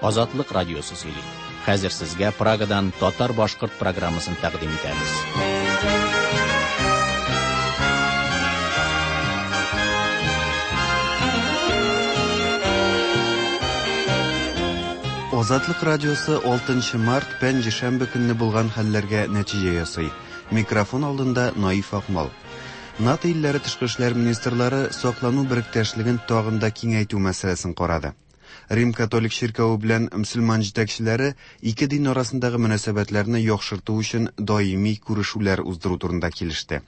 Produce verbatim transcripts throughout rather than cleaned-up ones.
Азатлык радиосы сөйли. Хәзер сезгә Прагадан татар-башкорт программасын тәкъдим итәбез. Азатлык радиосы алтынчы март пәнҗешәмбе көнне булган хәлләргә нәтиҗә ясый. Микрофон алдында Наиф Акмал. НАТО илләре тышкы эшләр министрлары саклану беректәшлеген тагын да киңәйтү мәсьәләсен карады. Рим католик чиркәве белән мөселман җитәкчеләре ике дин арасындагы мөнәсәбәтләрне яхшырту өчен даими күрешүләр уздыру турында килеште.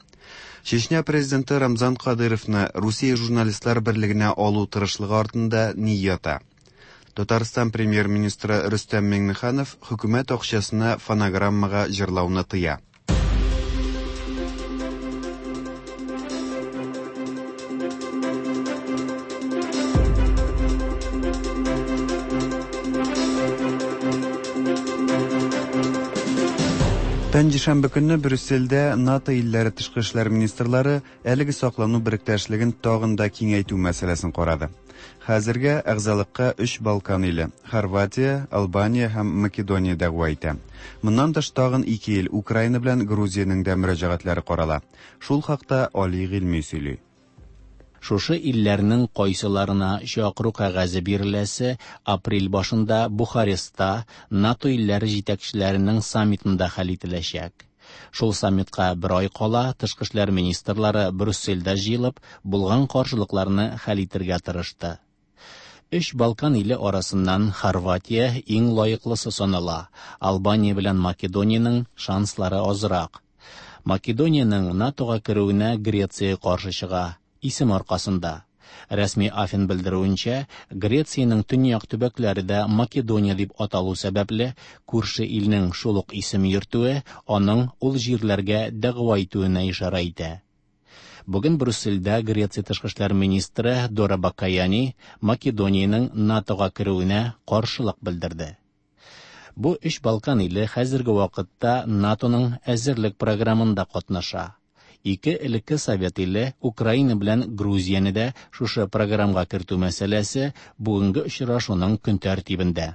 Чечня президенты Рамзан Кадыровны Русия журналистлар берлегенә алу тырышлыгы артында ни ята? Татарстан премьер-министры Рөстәм Миңнеханов хөкүмәт акчасына фонограммага җырлауны тыя. Пәнҗешәмбе көнне Брюссельдә НАТО илләре тышкы эшләр министрлары әлеге саклану беректәшлеген тагын да киңәйтү мәсьәләсен карады. Хәзергә әгъзалыкка өч Балкан иле – Хорватия, Албания һәм Македония дәгъва итә. Моннан тыш тагын ике ил – Украина белән Грузиянең дә мөрәҗәгатьләре карала. Шул хакта Али Гыйльми сөйли. Шушы илләрнең кайсыларына чакыру кәгазе биреләсе апрель башында Бухарестта НАТО илләре җитәкчеләренең саммитында хәл ителәчәк. Шул саммитка бер ай кала тышкы эшләр министрлары Брюссельдә җыелып, булган каршылыкларны хәл итергә тырышты. Өч Балкан иле арасыннан Хорватия иң лаеклысы санала. Албания белән Македониянең шанслары азрак. Македониянең НАТОга керүенә Греция каршы чыга. Исем аркасында. Рәсми Афин белдерүенчә, Грециянең төньяк төбәкләре дә Македония дип аталу сәбәпле, күрше илнең шул ук исем йөртүе аның ул җирләргә дәгъва итүенә ишарә итә. Бүген Брюссельдә Греция тышкы эшләр министры Дора Бакаяни Македониянең НАТОга керүенә каршылык белдерде. Бу өч Балкан иле хәзерге вакытта НАТОның әзерлек программында катнаша. Ике элекке Совет иле Украина белән Грузияне дә шушы программага кертү мәсьәләсе бүгенге очрашуның көн тәртибендә.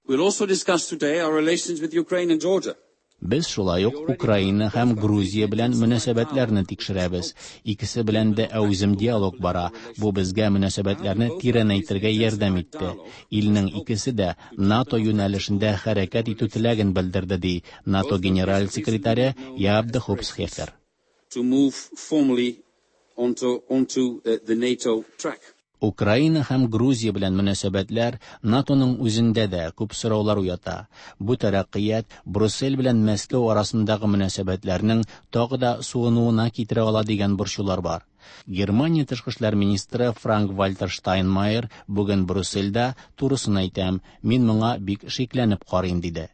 We'll also discuss today our relations with Ukraine and Georgia. Без шулай ук Украина һәм Грузия белән мөнәсәбәтләрне тикшерәбез. Икесе белән дә әүзем диалог бара. Бу безгә мөнәсәбәтләрне тирәнәйтергә ярдәм итте. Илнең икесе дә НАТО юнәлешендә хәрәкәт итү теләген белдерде, ди НАТО генераль секретаре Яап де Хоп Схефер. To move formally onto, onto uh, the NATO track. Украина һәм Грузия белән мөнәсәбәтләр НАТОның үзендә дә күп сораулар уята. Бу тәрәккыят Брюссель белән Мәскәү арасындагы мөнәсәбәтләрнең тагы да суынуына китерә ала дигән борчулар бар. Германия тышкы эшләр министры Франк-Вальтер Штайнмайер бүген Брюссельдә турысын әйтәм, мин моңа бик шикләнеп карыйм, диде.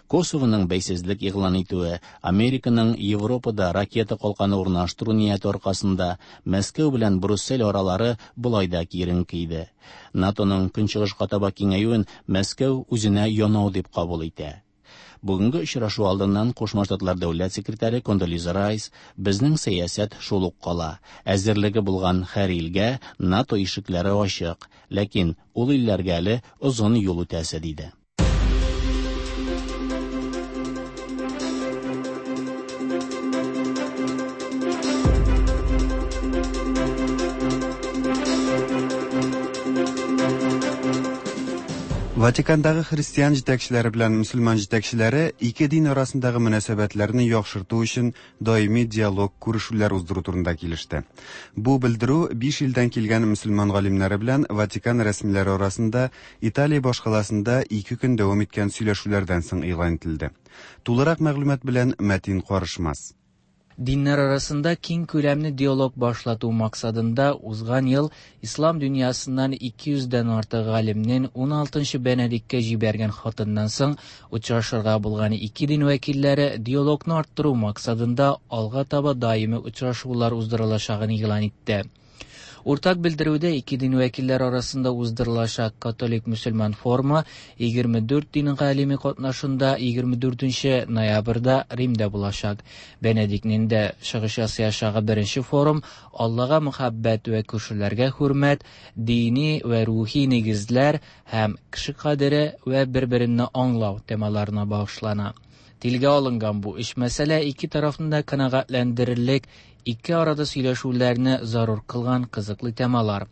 Косовоның бәйсезлек игълан итүе, Американың Европада ракета калканы урнаштыру нияте аркасында Мәскәү белән Брюссель аралары болай да киеренке иде. НАТОның көнчыгышка таба киңәюен Мәскәү үзенә янау дип кабул итә. Бүгенге очрашу алдыннан Кушма Штатлар дәүләт секретаре Кондолиза Райс безнең сәясәт шул ук кала. Әзерлеге булган һәр илгә НАТО ишекләре ачык, ләкин ул илләргә әле озын юл үтәсе, диде. Ватикандагы христиан җитәкчеләре белән мөселман җитәкчеләре ике дин арасындагы мөнәсәбәтләрне яхшырту өчен даими диалог күрешүләр уздыру турында килеште. Бу белдерү биш илдән килгән мөселман галимнәре белән Ватикан рәсмиләре арасында Италия башкаласында ике көн дәвам иткән сөйләшүләрдән соң игълан ителде. Тулырак мәгълүмат белән Мәтин Карышмас. Dinler arasında keng күләмле диалог башлату максатында узган ел ислам дөньясыннан ике йөздән артык галимнең ун алтынчы Бенедиктка җибәргән хатыннан соң очрашырга булган ике дин вәкилләре диалогны арттыру максатында алга таба даими очрашулар уздырылачагын игълан итте. Уртак белдерүдә ике дин вәкилләре арасында уздырылачак католик-мөселман форумы егерме дүрт дин галиме катнашында егерме дүртенче ноябрьдә Римдә булачак. Бенедиктның дә чыгыш ясаячагы беренче форум Аллага мөхәббәт вә күршеләргә хөрмәт, дини вә рухи нигезләр һәм кеше кадере вә бер-беренне аңлау темаларына багышлана. Телгә алынган бу өч мәсьәлә ике тарафны да канәгатьләндерерлек, ике арада сөйләшүләрне зарур кылган кызыклы темалар.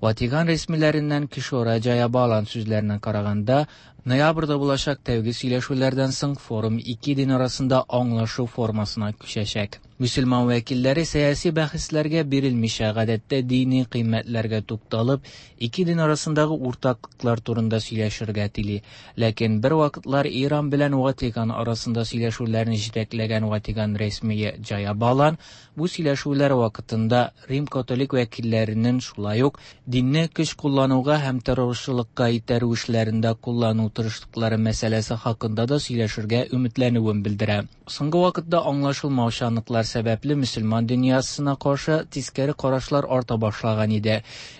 Ватикан рәсмиләреннән Кишора Джаябалан сүзләренә караганда, ноябрьдә булачак тәүге сөйләшүләрдән соң форум ике дин арасында аңлашу формасына күчәчәк. Мөселман вәкилләре сәяси бәхәсләргә бирелмичә, гадәттә дини кыйммәтләргә тукталып, ике дин арасындагы уртаклыклар турында сөйләшергә тели. Ләкин бер вакытлар Иран белән Ватикан арасында сөйләшүләрне җитәкләгән Ватикан рәсмие Джаябалан бу сөйләшүләр вакытында Рим католик вәкилләренең шулай ук динне көч куллануга һәм террорчылыкка итәрү эшләрендә куллану тырышлыклары мәсьәләсе хакында да сөйләшергә өметләнүен белдерә. Соңгы вакытта аңлашылмаучанлыклар сәбәпле мөселман дөньясына каршы тискәре карашлар арта башлаган иде.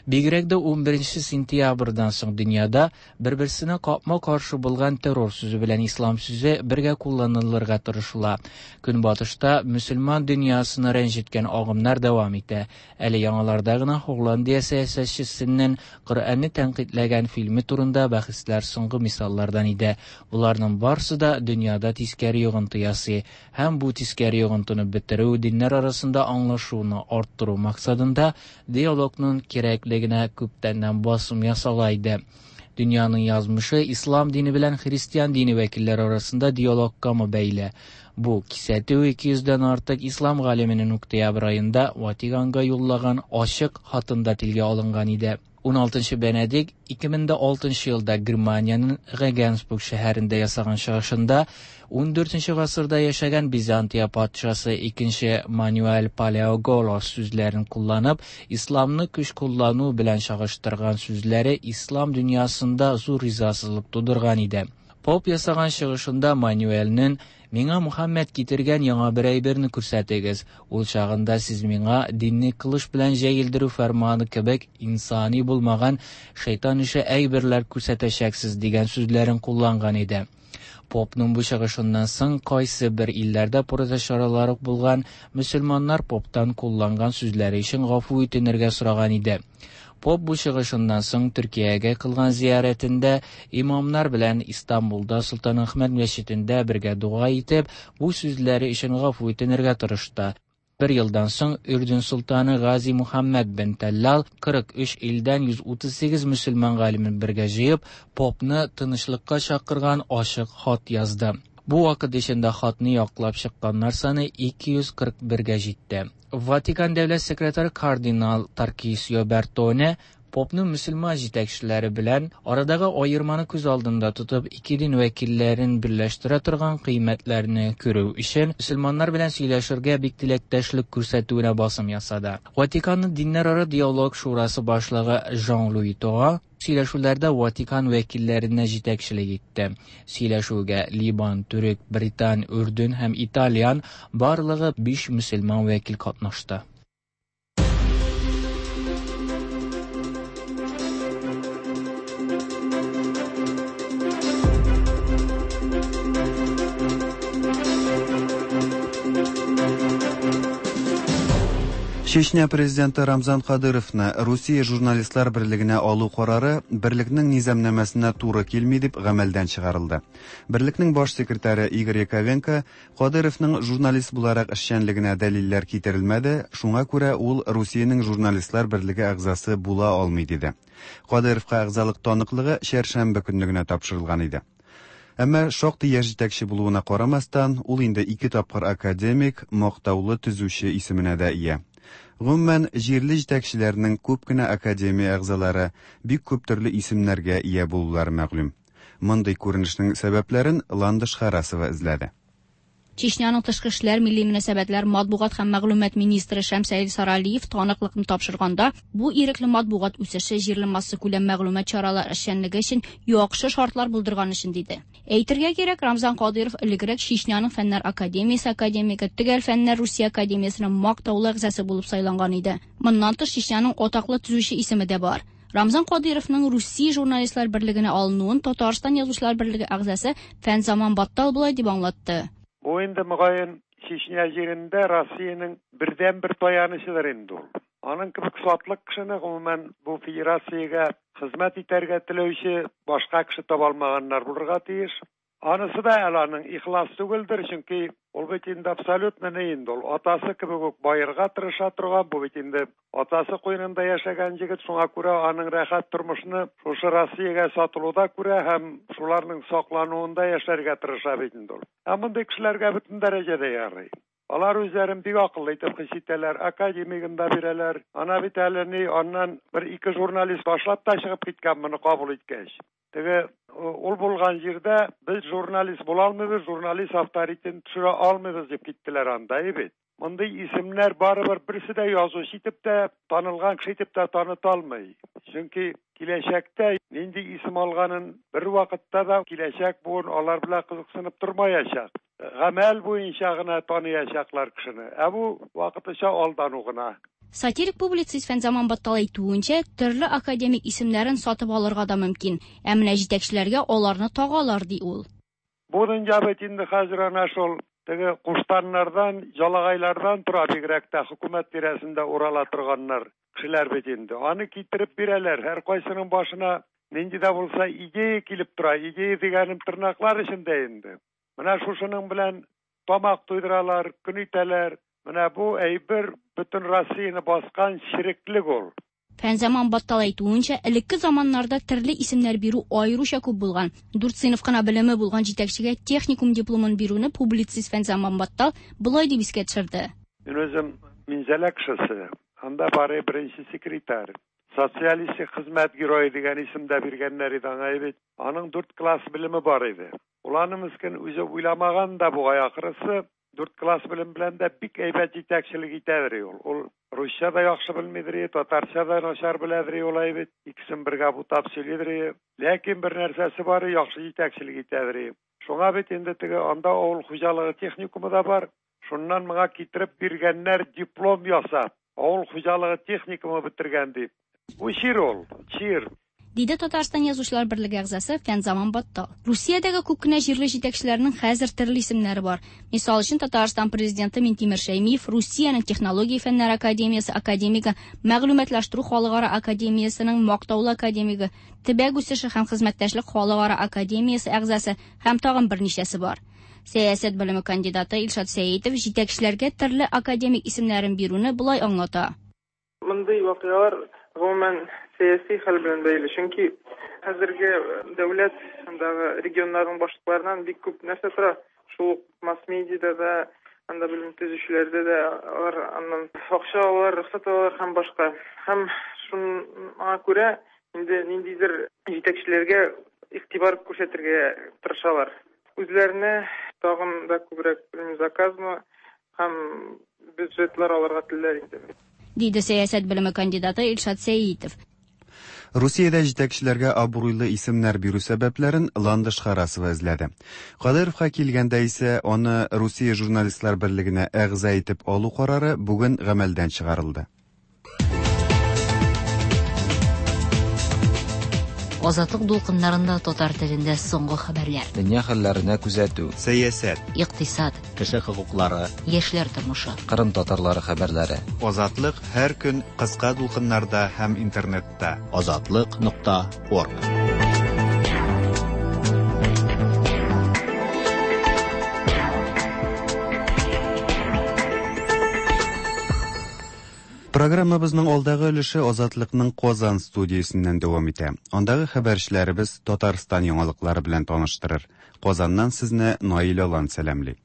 Бигрәк дә унберенче сентябрьдән соң дөньяда бер-берсенә капма-каршы булган террор сүзе белән ислам сүзе бергә кулланылырга тырышыла. Көнбатышта мөселман дөньясына рәнҗеткән агымнар дәвам итә. Әле яңаларда гына Һолландия сәясәтчесенең Коръәнне тәнкыйтьләгән фильме турында бәхәсләр соңгы мисаллардан иде. Буларның барсы да дөньяда тискәре йогынты ясый һәм бу тискәре йогынтыны бетерү, диннәр арасында аңлашуны арттыру максатында диалогның кирәклегенә күптәннән басым ясала иде. Дөньяның язмышы ислам дине белән христиан дине вәкилләре арасында диалогка бәйле. Бу кисәтү ике йөздән артык ислам галименең октябрь аенда Ватиканга юллаган ачык хатында телгә алынган иде. Уналтынчы Бенедикт ике мең дә алтынчы елда Германиянең Регенсбург шәһәрендә ясаган чыгышында ундүртенче гасырда яшәгән Византия патшасы икенче Мануэль Палеоголос сүзләрен кулланып, исламны көч куллану белән чагыштырган сүзләре ислам дөньясында зур ризасызлык тудырган иде. Поп ясаган чыгышында Мануэльнең «Миңа Мухаммед китергән яңа бер әйберне күрсәтегез, ул чагында сез миңа динне кылыч белән җәелдерү фәрманы кебек инсани булмаган шайтан ише әйберләр күрсәтәчәксез» дигән сүзләрен кулланган иде. Попның бу чыгышыннан соң кайсы бер илләрдә протест чаралары булган мөселманнар поптан кулланган сүзләре өчен гафу итенергә сораган иде. Поп бу чыгышыннан соң Төркиягә кылган зиярәтендә имамнар белән Истанбулда Солтан Әхмәт мәчетендә бергә дога итеп, бу сүзләре өчен гафу итенергә тырышты. Бер елдан соң Үрдүн султаны Гази Мухаммед бен Таллал кырык өч илдән йөз утыз сигез мөселман галимен бергә җыеп, попны тынычлыкка чакырган ачык хат язды. Бу вакыт эчендә хатны яклап чыкканнар саны ике йөз кырык бергә җитте. Ватикан дәүләт секретаре кардинал Таркисио Бертоне попның мөселман җитәкчеләре белән арадагы аерманы күз алдында тотып, ике дин вәкилләрен берләштерә торган кыйммәтләрне күрү өчен мөселманнар белән сөйләшергә бик теләктәшлек күрсәтүенә басым ясады. Ватиканның диннәрара диалог шурасы башлыгы Жан-Луи Тора сөйләшүләрдә Ватикан вәкилләренә җитәкчелек итте. Сөйләшүгә Либан, Төрек, Британ, Үрдүн һәм Итальян барлыгы биш мөселман вәкил катнашты. Чечня президенты Рамзан Кадыровны Русия журналистлар берлегенә алу карары берлекнең низамнамәсенә туры килми дип гамәлдән чыгарылды. Берлекнең баш секретаре Игорь Яковенко Кадыровның журналист буларак эшчәнлегенә дәлилләр китерелмәде, шуңа күрә ул Русиянең журналистлар берлеге әгъзасы була алмый диде. Кадыровка әгъзалык таныклыгы чәршәмбе көнне генә тапшырылган иде. Әмма шактый яшь җитәкче булуына карамастан, ул инде ике тапкыр академик, мактаулы төзүче исеменә дә ия. Гомумән, җирле җитәкчеләрнең күп кенә академия әгъзалары бик күп төрле исемнәргә ия булулары мәгълүм. Мондый күренешнең сәбәпләрен Ландыш Харасова эзләде. Чечняның тышкы эшләр, милли мөнәсәбәтләр, матбугат һәм мәгълүмат министры Шәмсәил Саралиев таныклыкны тапшырганда, бу ирекле матбугат үсеше җирле массакүләм мәгълүмат чаралары эшчәнлеге өчен яхшы шартлар булдырган өчен диде. Әйтергә кирәк, Рамзан Кадыйров элегрәк Чечняның Фәннәр академиясе академигы, Төгәл фәннәр Русия академиясенең мактаулы әгъзасы булып сайланган иде. Моннан тыш Чечняның атаклы төзүче исеме дә бар. Рамзан Кадыйровның Русия журналистлар берлегенә алынуын Татарстан язучылар берлеге әгъзасы Фәнзаман Баттал болай дип аңлатты. Бу инде мөгаен Чечня җирендә Россиянең бердәнбер таянычыдыр инде ул. Аның кебек сатлык кешене гомумән бу федерациягә хезмәт итәргә теләүче башка кеше таба алмаганнар булырга тиеш. Анысы да әле аның ихлас түгелдер, чөнки ул бит инде абсолютно ни инде ул атасы кебек үк баерга тырыша торган, бу бит инде атасы куенында яшәгән егет, шуңа күрә аның рәхәт тормышны шушы Россиягә сатылуда күрә һәм шуларның саклануында яшәргә тырыша бит инде ул. Ә мондый кешеләргә бөтен дәрәҗәдә ярый. Алар үзләрен бик акыллы итеп хис итәләр, академигын да бирәләр. Ана бит әле ни аннан бер ике журналист башлап та чыгып киткән моны кабул иткәч. Теге ул булган җирдә без журналист була алмыйбыз, журналист авторитетын төшерә алмыйбыз дип киттеләр анда, бит. Мондый исемнәр барыбер берсе дә язучы итеп тә, танылган кеше итеп тә таныта алмый. Чөнки киләчәктә нинди исем алганын бер вакытта да киләчәк буын алар белән кызыксынып тормаячак. Гамәл буенча гына таныячаклар кешене. Ә бу вакытыча алдану гына. Сатирик публицист Фәнзаман Баттал әйтүенчә, төрле академик исемнәрен сатып алырга да мөмкин. Ә менә җитәкчеләргә аларны тагалар, ди ул. Бу дөнья бит инде хәзер ана шул теге куштаннардан, жалагайлардан тора, бигрәк тә хөкүмәт тирәсендә урала торганнар кешеләр бит инде. Аны китереп бирәләр. Һәр кайсының башына нинди дә булса идея килеп тора. Идея дигәнем тырнаклар эчендә инде. Менә шушының белән тамак туйдыралар, көн итәләр. Менә бу әйбер бөтен Россияне баскан ширеклек ул. Фәнзаман Баттал әйтүенчә, элекке заманнарда төрле исемнәр бирү аеруча күп булган. Дүрт сыйныф кына белеме булган җитәкчегә техникум дипломын бирүне публицист Фәнзаман Баттал болай дип искә төшерде. Мин үзем Минзәлә кешесе. Анда бары беренче секретарь. Социалистик хезмәт герое дигән исем дә биргәннәр иде аңа бит. Аның дүрт класс белеме бар иде. Ул аны мескен үзе уйламаган да бугай ахрысы. Дүрт класс белем белән дә бик әйбәт җитәкчелек итәдер ул. Ул русча да яхшы белмидер, татарча да начар беләдер ул бит. Икесен бергә бутап сөйлидер. Ләкин бер нәрсәсе бар, яхшы җитәкчелек итәдер. Шуңа бит инде теге анда авыл хуҗалыгы техникумы да бар. Шуннан моңа китереп биргәннәр диплом ясап, авыл хуҗалыгы техникумы бетергән дип. Бу чир ул, чир. Диде Татарстан язучылар берлеге әгъзасы Фәнзаман Баттал. Русиядәге күп кенә җирле җитәкчеләрнең хәзер төрле исемнәре бар. Мисал өчен, Татарстан президенты Минтимер Шәймиев Русиянең технология фәннәре академиясе академигы, мәгълүматлаштыру халыкара академиясенең мактаулы академигы, төбәк үсеше һәм хезмәттәшлек халыкара академиясе әгъзасы һәм тагын берничәсе бар. Сәясәт белеме кандидаты Илшат Сәетов җитәкчеләргә төрле академик исемнәрен бирүне болай аңлата. Мондый вакыйгалар гомумән сәяси хәл белән бәйле, чөнки хәзерге дәүләт андагы регионнарның башлыкларыннан бик күп нәрсә тора. Шул ук масс-медиада да, анда белем төзүчеләрдә дә алар аннан акча алалар, рөхсәт алалар һәм башка. Һәм шуңа күрә инде ниндидер җитәкчеләргә игътибар күрсәтергә тырышалар. Үзләренә тагын да күбрәк заказмы һәм бюджетлар алырга телиләр инде. Диде сәясәт белеме кандидаты Илшат Сәетов. Русиядә җитәкчеләргә абруйлы исемнәр бирү сәбәпләрен Ландыш Харасова эзләде. Кадыйровка килгәндә исә аны Русия журналистлар берлегенә әгъза итеп алу карары бүген гамәлдән чыгарылды. Азатлык дулкыннарында татар телендә соңгы хәбәрләр. Дөнья хәлләренә күзәтү, сәясәт, икътисад, кеше хокуклары, яшьләр тормышы, Кырым татарлары хәбәрләре. Азатлык һәр көн кыска дулкыннарда һәм интернетта. Азатлык нокта орг. Программабызның алдагы өлеше Азатлыкның Казан студиясеннән дәвам итә. Андагы хәбәрчеләребез Татарстан яңалыклары белән таныштырыр. Казаннан сезне Наил Алан сәламли.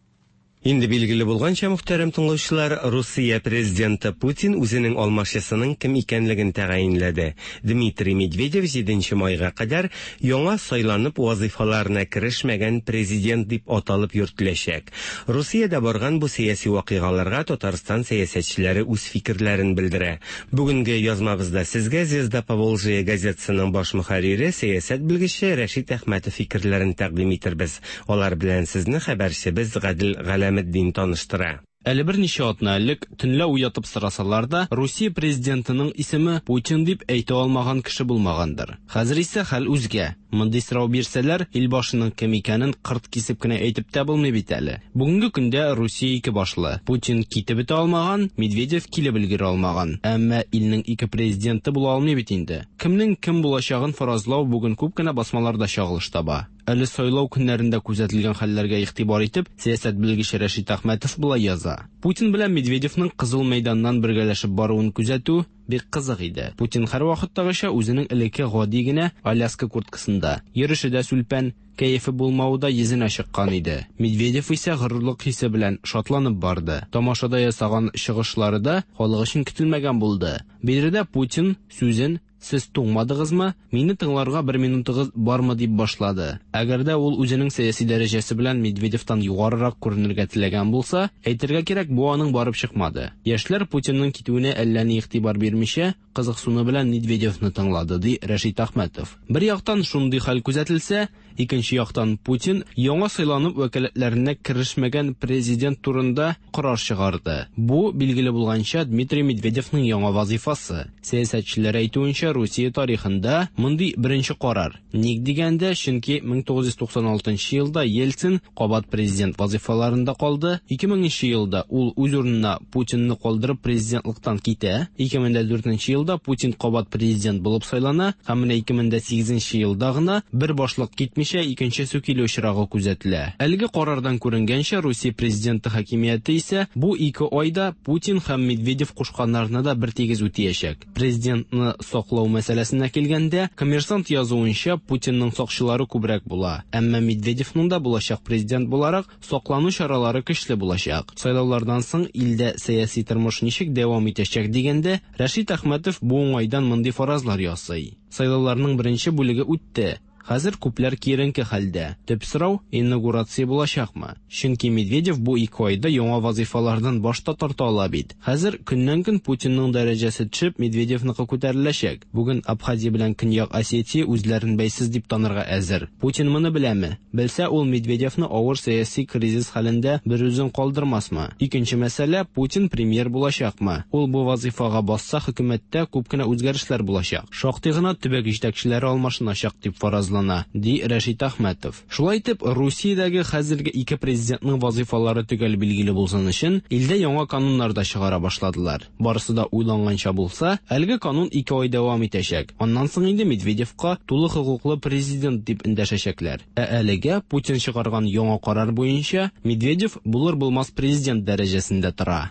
Инде билгеле булганча, мөхтәрәм тыңлаучылар, Русия президенты Путин үзенең алмашчысының кем икәнлеген тәгаенләде. Дмитрий Медведев җиденче майга кадәр яңа сайланып вазифаларына керешмәгән президент дип аталып йөртеләчәк. Русиядә барган бу сәяси вакыйгаларга Татарстан сәясәтчеләре үз фикерләрен белдерә. Бүгенге язмабызда сезгә «Звезда Поволжья» газетасының баш мөхәррире, сәясәт белгече Рәшит Әхмәтов фикерләрен тәкъдим итербез. Алар белән сезне хәбәрчебез Гадел Галәметдин таныштыра. Әле берничә атна элек төнлә уятып сорасалар да, Русия президентының исеме Путин дип әйтә алмаган кеше булмагандыр. Хәзер исә хәл үзгә. Мондый сорау бирсәләр, ил башының кем икәнен кырт кисеп кенә әйтеп тә булмый бит әле. Бүгенге көндә Русия ике башлы. Путин китеп бетә алмаган, Медведев килеп өлгерә алмаган. Әмма илнең ике президенты була алмый бит инде. Кемнең кем булачагын фаразлау бүген күп кенә басмаларда чагылыш таба. Әле сайлау көннәрендә күзәтелгән хәлләргә игътибар итеп, сәясәт белгече Рәшит Әхмәтов болай яза. Путин белән Медведевның Кызыл мәйданнан бергәләшеп баруын күзәтү бик кызык иде. Путин һәрвакыттагыча үзенең элекке гади генә Аляска курткасында, йөреше дә сүлпән, кәефе булмавы да йөзенә чыккан иде. Медведев исә горурлык хисе белән шатланып барды. Тамашада ясаган чыгышлары да халык өчен көтелмәгән булды. Биредә Путин сүзен «Сез туңмадыгызмы? Мине тыңларга бер минутыгыз бармы?» дип башлады. Әгәр дә ул үзенең сәяси дәрәҗәсе белән Медведевтан югарырак күренергә теләгән булса, әйтергә кирәк, бу аның барып чыкмады. Яшьләр Путинның китүенә әллә ни игътибар бирмичә, кызыксыну белән Медведевны тыңлады, ди Рәшит Әхмәтов. Бер яктан шундый хәл күзәтелсә, икенче яктан Путин яңа сайланып вәкаләтләренә керешмәгән президент турында карар чыгарды. Бу, билгеле булганча, Дмитрий Медведевның яңа вазифасы. Сәясәтчеләр әйтүенчә, Русия тарихында мондый беренче карар. Ник дигәндә, чөнки мең тугыз йөз туксан алтынчы елда Ельцин кабат президент вазифаларында калды. Ике меңенче елда ул үз урынына Путинны калдырып президентлыктан китә. Ике мең дә дүртенче елда Путин кабат президент булып сайлана һәм менә ике мең дә сигезенче елда гына бер башлык китмичә икенчесе килү очрагы күзәтелә. Әлеге карардан күренгәнчә, Русия президенты хакимияте исә бу ике айда Путин һәм Медведев кушканнарны да бер тигез үтәячәк. Президентны саклау мәсьәләсенә килгәндә, Коммерсант язуынча, Путинның сакчылары күбрәк була. Әмма Медведевның да булачак президент буларак саклану чаралары көчле булачак. Сайлаулардан соң илдә сәяси тормыш ничек дәвам итәчәк дигәндә, Рәшит Әхмәтов бу уңайдан мондый фаразлар ясый. Сайлауларның беренче бүлеге үтте. Хәзер күпләр киеренке хәлдә. Төп сорау инаугурация булачакмы? Чөнки Медведев бу ике айда яңа вазифалардан баш та тарта ала бит. Хәзер көннән-көн Путинның дәрәҗәсе төшеп, Медведевныкы күтәреләчәк. Бүген Абхазия белән Көньяк Осетия үзләрен бәйсез дип танырга әзер. Путин моны беләме? Белсә, ул Медведевны авыр сәяси кризис хәлендә бер үзен калдырмасмы? Икенче мәсьәлә, Путин премьер булачакмы? Ул бу вазифага басса, хөкүмәттә күп кенә үзгәрешләр булачак. Шактый гына төбәк җитәкчеләре алмашыначак дип фаразлана, ди Рәшит Әхмәтов. Шулай итеп, Русиядәге хәзерге ике президентның вазифалары төгәл билгеле булсын өчен илдә яңа кануннар да чыгара башладылар. Барысы да уйланганча булса, әлеге канун ике ай дәвам итәчәк. Аннан соң инде Медведевка тулы хокуклы президент дип эндәшәчәкләр. Ә әлегә Путин чыгарган яңа карар буенча Медведев булыр-булмас президент дәрәҗәсендә тора.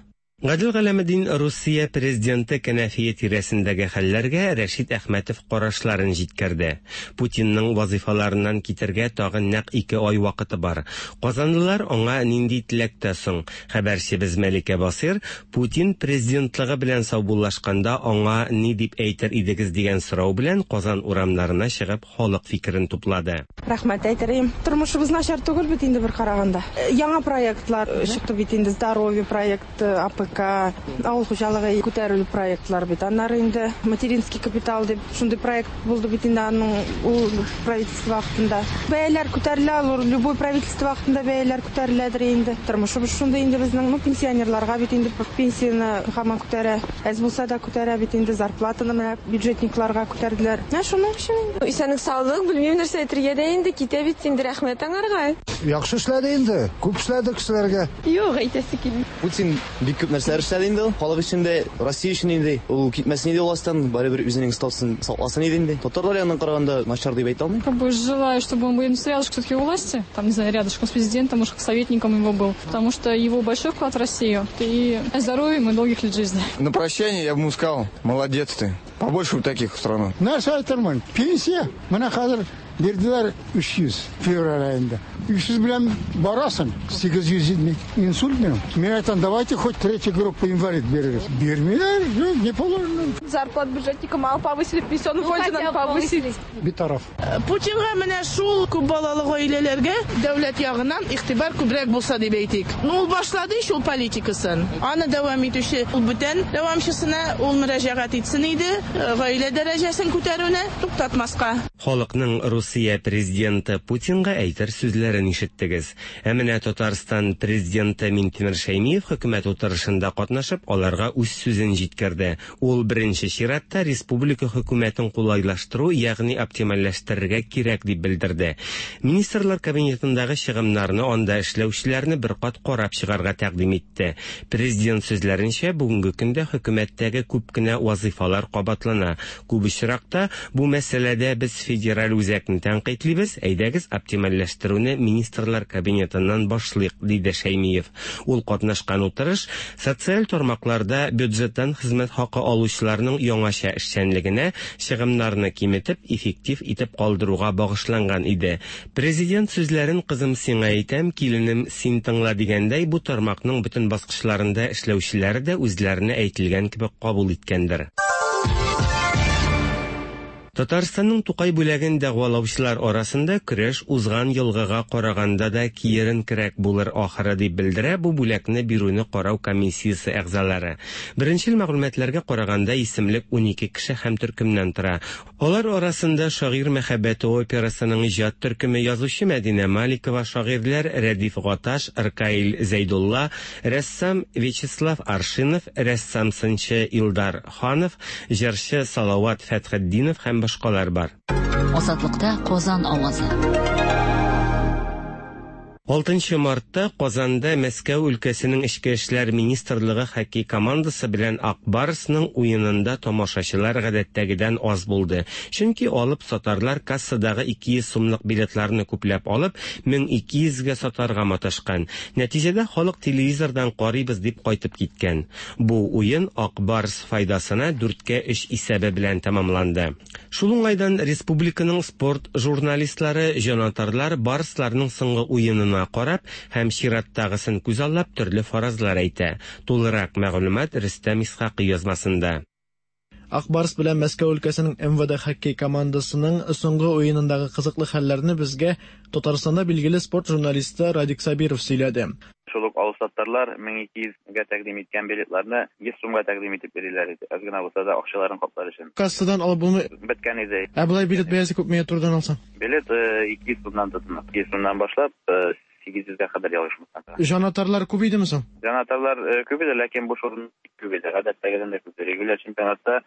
Гадел Галәметдин Русия президенты кәнәфие тирәсендәге хәлләргә Рәшит Әхмәтов карашларын җиткерде. Путинның вазифаларыннан китергә тагын нәкъ ике ай вакыты бар. Казанлылар аңа нинди теләктә соң? Хәбәрчебез Мәликә Басир Путин президентлыгы белән саубуллашканда аңа ни дип әйтер идегез дигән сорау белән Казан урамнарына чыгып халык фикерен туплады. Рәхмәт әйтерем. Тормышыбыз начар түгел бит инде бер караганда. Яңа проектлар чыкты бит инде, здоровье проекты, А П К, авыл хуҗалыгы күтәрелү проектлар бит. Аннары инде материнский капитал дип шундый проект булды бит инде, аның ул правительство вакытында. Бәяләр күтәрелә, алар любой правительство вакытында бәяләр күтәреләдер инде. Тормышыбыз шундый инде безнең, ну, пенсионерларга бит инде пенсияне һаман күтәрә. Әз булса да күтәрә бит инде, зарплатаны менә бюджетникларга күтәрделәр. Менә шуның өчен инде. Исәнлек саулык, белмим нәрсә әйтергә дә инде, китә бит инде, рәхмәт аңарга. Яхшы эшләде инде, күп эшләде кешеләргә. Юк, әйтәсе килми. Путин бик күп нәрсәләр эшләде инде ул. Халык өчен дә, Россия өчен инде. Ул китмәсен иде властьтан, барыбер үзенең статусын сакласын иде инде. Татарлар ягыннан караганда начар дип әйтә алмыйм. Как бы желаю, чтобы он был рядышком все-таки у власти, там, не знаю, рядышком с президентом, может, советником его был, потому что его большой вклад в Россию. И здоровья ему и долгих лет жизни. На прощание я бы ему сказал: молодец ты. Побольше бы таких в страну. Нәрсә әйтермен? Пенсия. Менә хәзер бирделәр өч йөз февраль аенда. Өч йөз белән барасың, сигез йөз инсульт минем. Мин әйтәм, давайте хоть третью группу инвалид бирегез. Бирмиләр, не положено. Зарплат бюджетника мало повысили, пенсионный фонд надо повысили. Битараф. Путинга менә шул күп балалы гаиләләргә дәүләт ягыннан игътибар күбрәк булса дип әйтик. Ну, ул башлады шул политикасын. Аны дәвам итүче ул бүтән дәвамчысына ул мөрәҗәгать итсен иде, гаилә дәрәҗәсен күтәрүне туктатмаска. Халыкның Русия президенты Путинга әйтер сүзләрен ишеттегез. Ә менә Татарстан президенты Минтимер Шәймиев хөкүмәт утырышында катнашып, аларга үз сүзен җиткерде. Ул беренче чиратта республика хөкүмәтен кулайлаштыру, ягъни оптимальләштерергә кирәк дип белдерде. Министрлар кабинетындагы чыгымнарны анда эшләүчеләрне бер кат карап чыгарга тәкъдим итте. Президент сүзләренчә, бүгенге көндә хөкүмәттәге күп кенә вазифалар кабатлана. Күп очракта бу мәсьәләдә без федераль үзәкне тәнкыйтьлибез, әйдәгез оптимальләштерүне министрлар кабинетыннан башлыйк, диде Шәймиев. Ул катнашкан утырыш социаль тармакларда бюджеттан хезмәт хакы алучыларның яңача эшчәнлегенә чыгымнарны киметеп, эффектив итеп калдыруга багышланган иде. Президент сүзләрен кызым сиңа әйтәм, киленем син тыңла дигәндәй, бу тармакның бөтен баскычларында эшләүчеләре дә үзләренә әйтелгән кебек кабул иткәндер. Татарстанның Тукай бүләген дәгъвалаучылар арасында көрәш узган елгыга караганда да киеренкерәк булыр ахыры дип белдерә бу бүләкне бирүне карау комиссиясе әгъзалары. Беренчел мәгълүматларга караганда исемлек унике кеше һәм төркемнән тора. Алар арасында Шагыйрь мәхәббәте операсының иҗат төркеме, язучы Мәдинә Маликова, шагыйрьләр Рәдиф Гаташ, Ркаил Зәйдулла, рәссам Вячеслав Аршинов, рәссам-сынчы Илдар Ханов, җырчы Салават Фәтхетдинов һәм башкалар бар. Азатлыкта Казан авазы. Алтынчы мартта Казанда Мәскәү өлкәсенең Эчке эшләр министрлыгы хоккей командасы белән Ак Барсның уенында тамашачылар гадәттәгедән аз булды. Чөнки алып сатарлар кассадагы ике йөз сумлык билетларны күпләп алып, мең ике йөзгә сатарга маташкан. Нәтиҗәдә халык телевизордан карыйбыз дип кайтып киткән. Бу уен Ак Барс файдасына дүрткә өч исәбе белән тәмамланды. Шул уңайдан республиканың спорт журналистлары, җанатарлар Барсларның соңгы уенына карап һәм чираттагысын күзаллап төрле фаразлар әйтә. Тулырак мәгълүмат Рөстәм Исхакый язмасында. Ак Барс белән Мәскәү өлкәсенең М В Д хоккей командасының соңгы уенындагы кызыклы хәлләрне безгә Татарстанда билгеле спорт журналисты Радик Сабиров сөйләде. Шул ук алып-сатарлар мең ике йөзгә тәкъдим иткән билетларны йөз сумга тәкъдим итеп бирәләр иде. Аз гына булса да акчаларын каплар өчен. Кассадан алып булмый. Беткән иде. Ә болай билет бәясе күпмегә турыдан алсаң? Билет ике йөз сумнан тотына. Ике йөз сумнан башлап сигез йөзгә кадәр ялгышмасам. Җанатарлар күп идеме соң? Җанатарлар күп иде, ләкин буш урын күп иде. Гадәттәгедән дә күп. Регуляр чемпионатта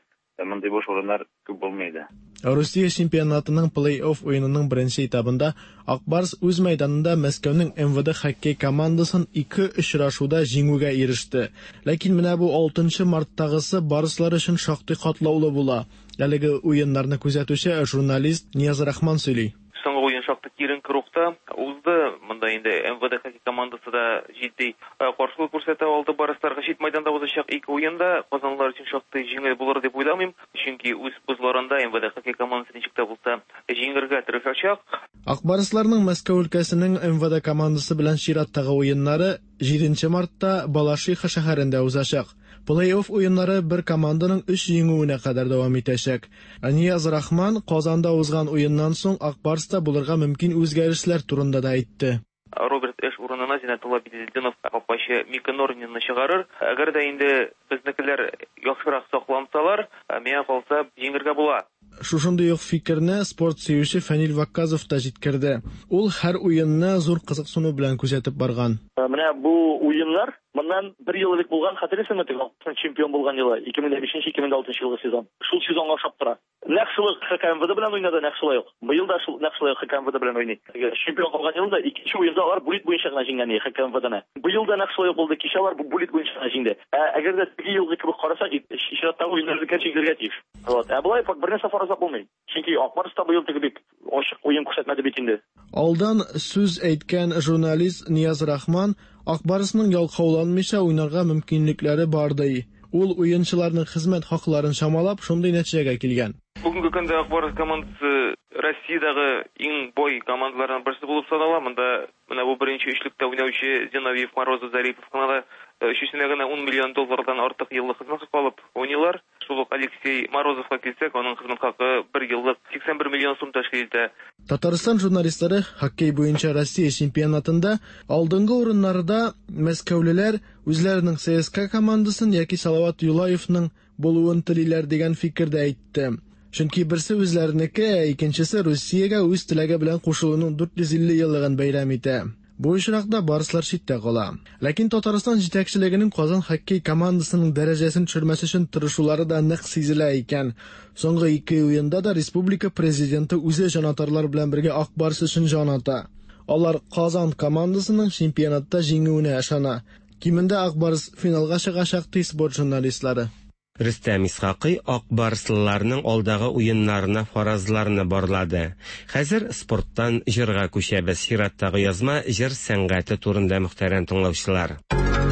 мондый буш урыннар күп булмый иде. Русия чемпионатының плей-офф уенының беренче этабында Ак Барс үз мәйданында Мәскәүнең М В Д хоккей командасын ике очрашуда җиңүгә иреште. Ләкин менә бу алтынчы марттагысы барслар өчен шактый катлаулы була. Әлеге уеннарны күзәтүче журналист Нияз Рахман сөйли. Соңгы уен шактый киеренке рухта узды. Монда инде М В Д хоккей командасы да җитди каршылык күрсәтә алды барсларга. Чит майданда узачак ике уенда казанлылар өчен шактый җиңел булыр дип уйламыйм, чөнки үз бозларында М В Д хоккей командасы ничек тә булса җиңергә тырышачак. Ак Барсларның Мәскәү өлкәсенең М В Д командасы белән чираттагы уеннары җиденче мартта Балашиха шәһәрендә узачак. Плей-офф уеннары бер команданың өч җиңүенә кадәр дәвам итәчәк. Нияз Рахман Казанда узган уеннан соң Ак Барста булырга мөмкин үзгәрешләр турында да әйтте. Роберт Эш урынына Зиннәтулла Беделдинов капкачы Мика Норнинны чыгарыр. Әгәр дә инде безнекеләр яхшырак саклансалар, миңа калса җиңергә була. Шушындый ук фикерне спорт сөюче Фәнил Вакказов та җиткерде. Ул һәр уенны зур кызыксыну белән күзәтеп барган. Менә бу уеннар моннан бер ел элек булган, хәтерлисеңме, теге чемпион булган елы, ике мең бишенче, ике мең алтынчы елгы сезон. Шул сезонга охшап тора. Нәкъ шул Х К М В Д белән уйнады, нәкъ шулай ук. Быел да шул нәкъ шулай Х К М В Д белән уйный. Чемпион калган елда икенче уенда алар булит буенча гына җиңгән Х К М В Д-ны. Быел да нәкъ шулай ук булды. Кичә алар булит буенча гына җиңде. Ә әгәр дә теге елгы кебек карасак, чираттагы уеннарда җиңергә тиеш. Вот. Ә болай бер нәрсә фаразлап булмый. Чөнки Ак Барс та быел теге бик ачык уен күрсәтмәде бит инде. Алдан сүз әйткән журналист Нияз Рахман Ак Барсның ялкауланмыйча уйнарга мөмкинлекләре бар ди. Ул уенчыларның хезмәт хакларын чамалап, шундый нәтиҗәгә килгән. Бүгенге көндә Ак Барс командасы Россиядәге иң бай командаларның берсе булып санала. Монда менә бу беренче өчлектә уйнаучы Зиновьев, Морозов, Зарипов кына да өчесенә генә ун миллион доллардан артык еллык хезмәт хакы алып уйныйлар. Шул ук Алексей Морозовка килсәк, аның хезмәт хакы бер еллык сиксән бер миллион сум тәшкил итә. Татарстан журналистлары хоккей буенча Россия чемпионатында алдынгы урыннарда мәскәүлеләр үзләренең ЦСКА командасын яки Салават Юлаевның булуын телиләр дигән фикердә әйтте. Чөнки берсе үзләренеке, ә икенчесе Русиягә үз теләге белән кушылуның дүрт йөз илле еллыгын бәйрәм итә. Бу очракта барслар читтә кала. Ләкин Татарстан җитәкчелегенең Казан хоккей командасының дәрәҗәсен төшермәс өчен тырышулары да нык сизелә икән. Соңгы ике уенда да республика президенты үзе җанатарлар белән бергә Ак Барс өчен җан ата. Алар Казан командасының чемпионатта җиңүенә ышана. Кимендә Ак Барс финалга чыгачак ди спорт журналистлары. Рөстәм Исхакый Ак Барслыларның алдагы уеннарына фаразларны барлады. Хәзер спорттан җырга күчәбез. Чираттагы язма җыр сәнгате турында, мөхтәрәм тыңлаучылар.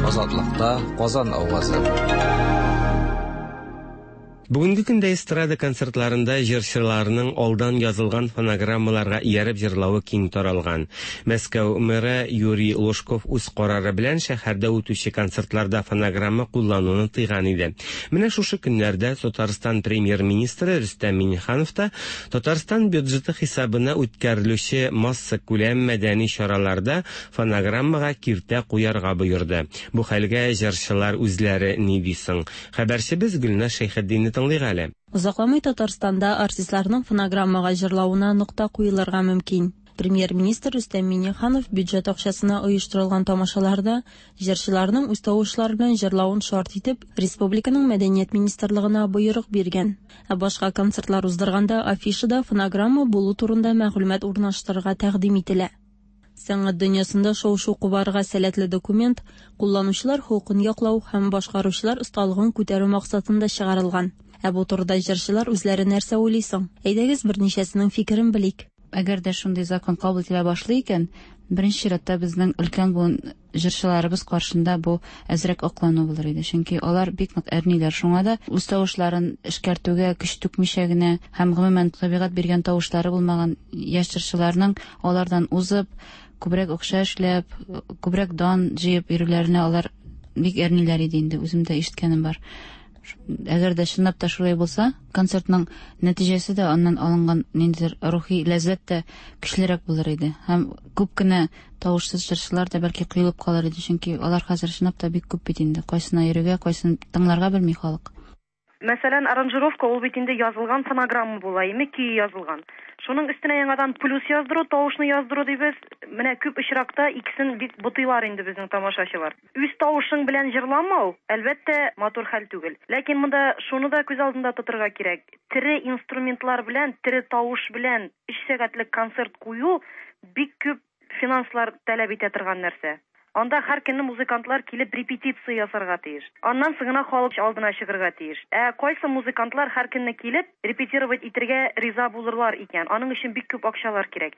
Азатлыкта Казан авазы. Бүгенге көндә эстрада концертларында җырчыларның алдан язылган фонограммаларга ияреп җырлавы киң таралган. Мәскәү мэры Юрий Лужков үз карары белән шәһәрдә үтүче концертларда фонограмма куллануны тыйган иде. Менә шушы көннәрдә Татарстан премьер-министры Рөстәм Миңнеханов та Татарстан бюджеты хисабына үткәрелүче массакүләм мәдәни чараларда фонограммага киртә куярга боерды. Бу хәлгә җырчылар үзләре ни ди соң? Хәбәрчебез Гөлназ Шәйхетдинне тыңлыйк әле. Озакламый Татарстанда артистларның фонограммага җырлавына нокта куелырга мөмкин. Премьер-министр Рөстәм Миңнеханов бюджет акчасына оештырылган тамашаларда җырчыларның үз тавышлары белән җырлавын шарт итеп, республиканың мәдәният министрлыгына боерык биргән. Ә башка концертлар уздырганда афишада фонограмма булу турында мәгълүмат урнаштырырга тәкъдим ителә. Сәнгать дөньясында шау-шу кубарырга сәләтле документ кулланучылар хокукын яклау һәм башкаручылар осталыгын күтәрү максатында чыгарылган. Ә бу турыда җырчылар үзләре нәрсә уйлый соң? Әйдәгез берничәсенең фикерен белик. Әгәр дә шундый закон кабул ителә башлый икән, беренче чиратта безнең өлкән буын җырчыларыбыз каршында бу әзрәк аклану булыр иде. Чөнки алар бик нык әрниләр. Шуңа да үз тавышларын эшкәртүгә көч түкмичә генә һәм гомумән табигать биргән тавышлары булмаган яшь җырчыларның алардан узып, күбрәк акча эшләп, күбрәк дан җыеп йөрүләренә алар бик әрниләр иде инде. Үзем дә ишеткәнем бар. Әгәр дә чынлап та шулай булса, концертның нәтиҗәсе дә, аннан алынган ниндидер рухи ләззәт тә көчлерәк булыр иде. Һәм күп кенә тавышсыз җырчылар да бәлки коелып калыр иде, чөнки алар хәзер чынлап та бик күп бит инде. Кайсына йөрергә, кайсын тыңларга белми халык. Мәсәлән, аранжировка ул бит инде язылган фонограмма була, име көе язылган. Шуның өстенә яңадан плюс яздыру, тавышны яздыру дибез. Менә күп очракта икесен бик бутыйлар инде безнең тамашачылар. Үз тавышың белән җырламау, әлбәттә, матур хәл түгел. Ләкин монда шуны да күз алдында тотырга кирәк. Тере инструментлар белән, тере тавыш белән өч сәгатьлек концерт кую бик күп финанслар таләп итә торган нәрсә. Анда һәр көнне музыкантлар килеп репетиция ясарга тиеш. Аннан соң гына халык алдына чыгарга тиеш. Ә кайсы музыкантлар һәр көнне килеп репетировать итәргә риза булырлар икән? Аның өчен бик күп акчалар кирәк.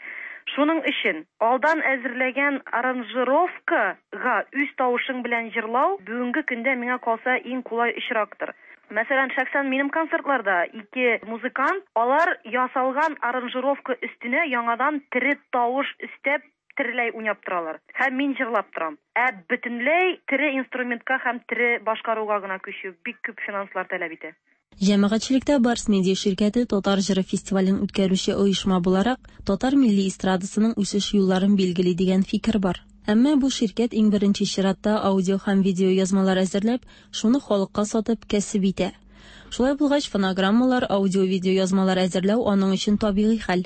Шуның өчен алдан әзерләгән аранжировкага үз тавышың белән җырлау бүгенге көндә миңа калса иң кулай очрактыр. Мәсәлән, шәхсән минем концертларда ике музыкант, алар ясалган аранжировка өстенә яңадан тере тавыш өстәп тереләй уйнап торалар. Һәм мин җырлап торам. Ә бөтенләй тере инструментка һәм тере башкаруга гына күчү бик күп финанслар таләп итә. Җәмәгатьчелектә Барс Медиа ширкәте Татар җыры фестивален үткәрүче оешма буларак, татар милли эстрадасының үсеш юлларын билгели дигән фикер бар. Әмма бу ширкәт иң беренче чиратта аудио һәм видео язмалар әзерләп, шуны халыкка сатып кәсеп итә. Шулай булгач, фонограммалар, аудио-видео язмалар әзерләү аның өчен табигый хәл.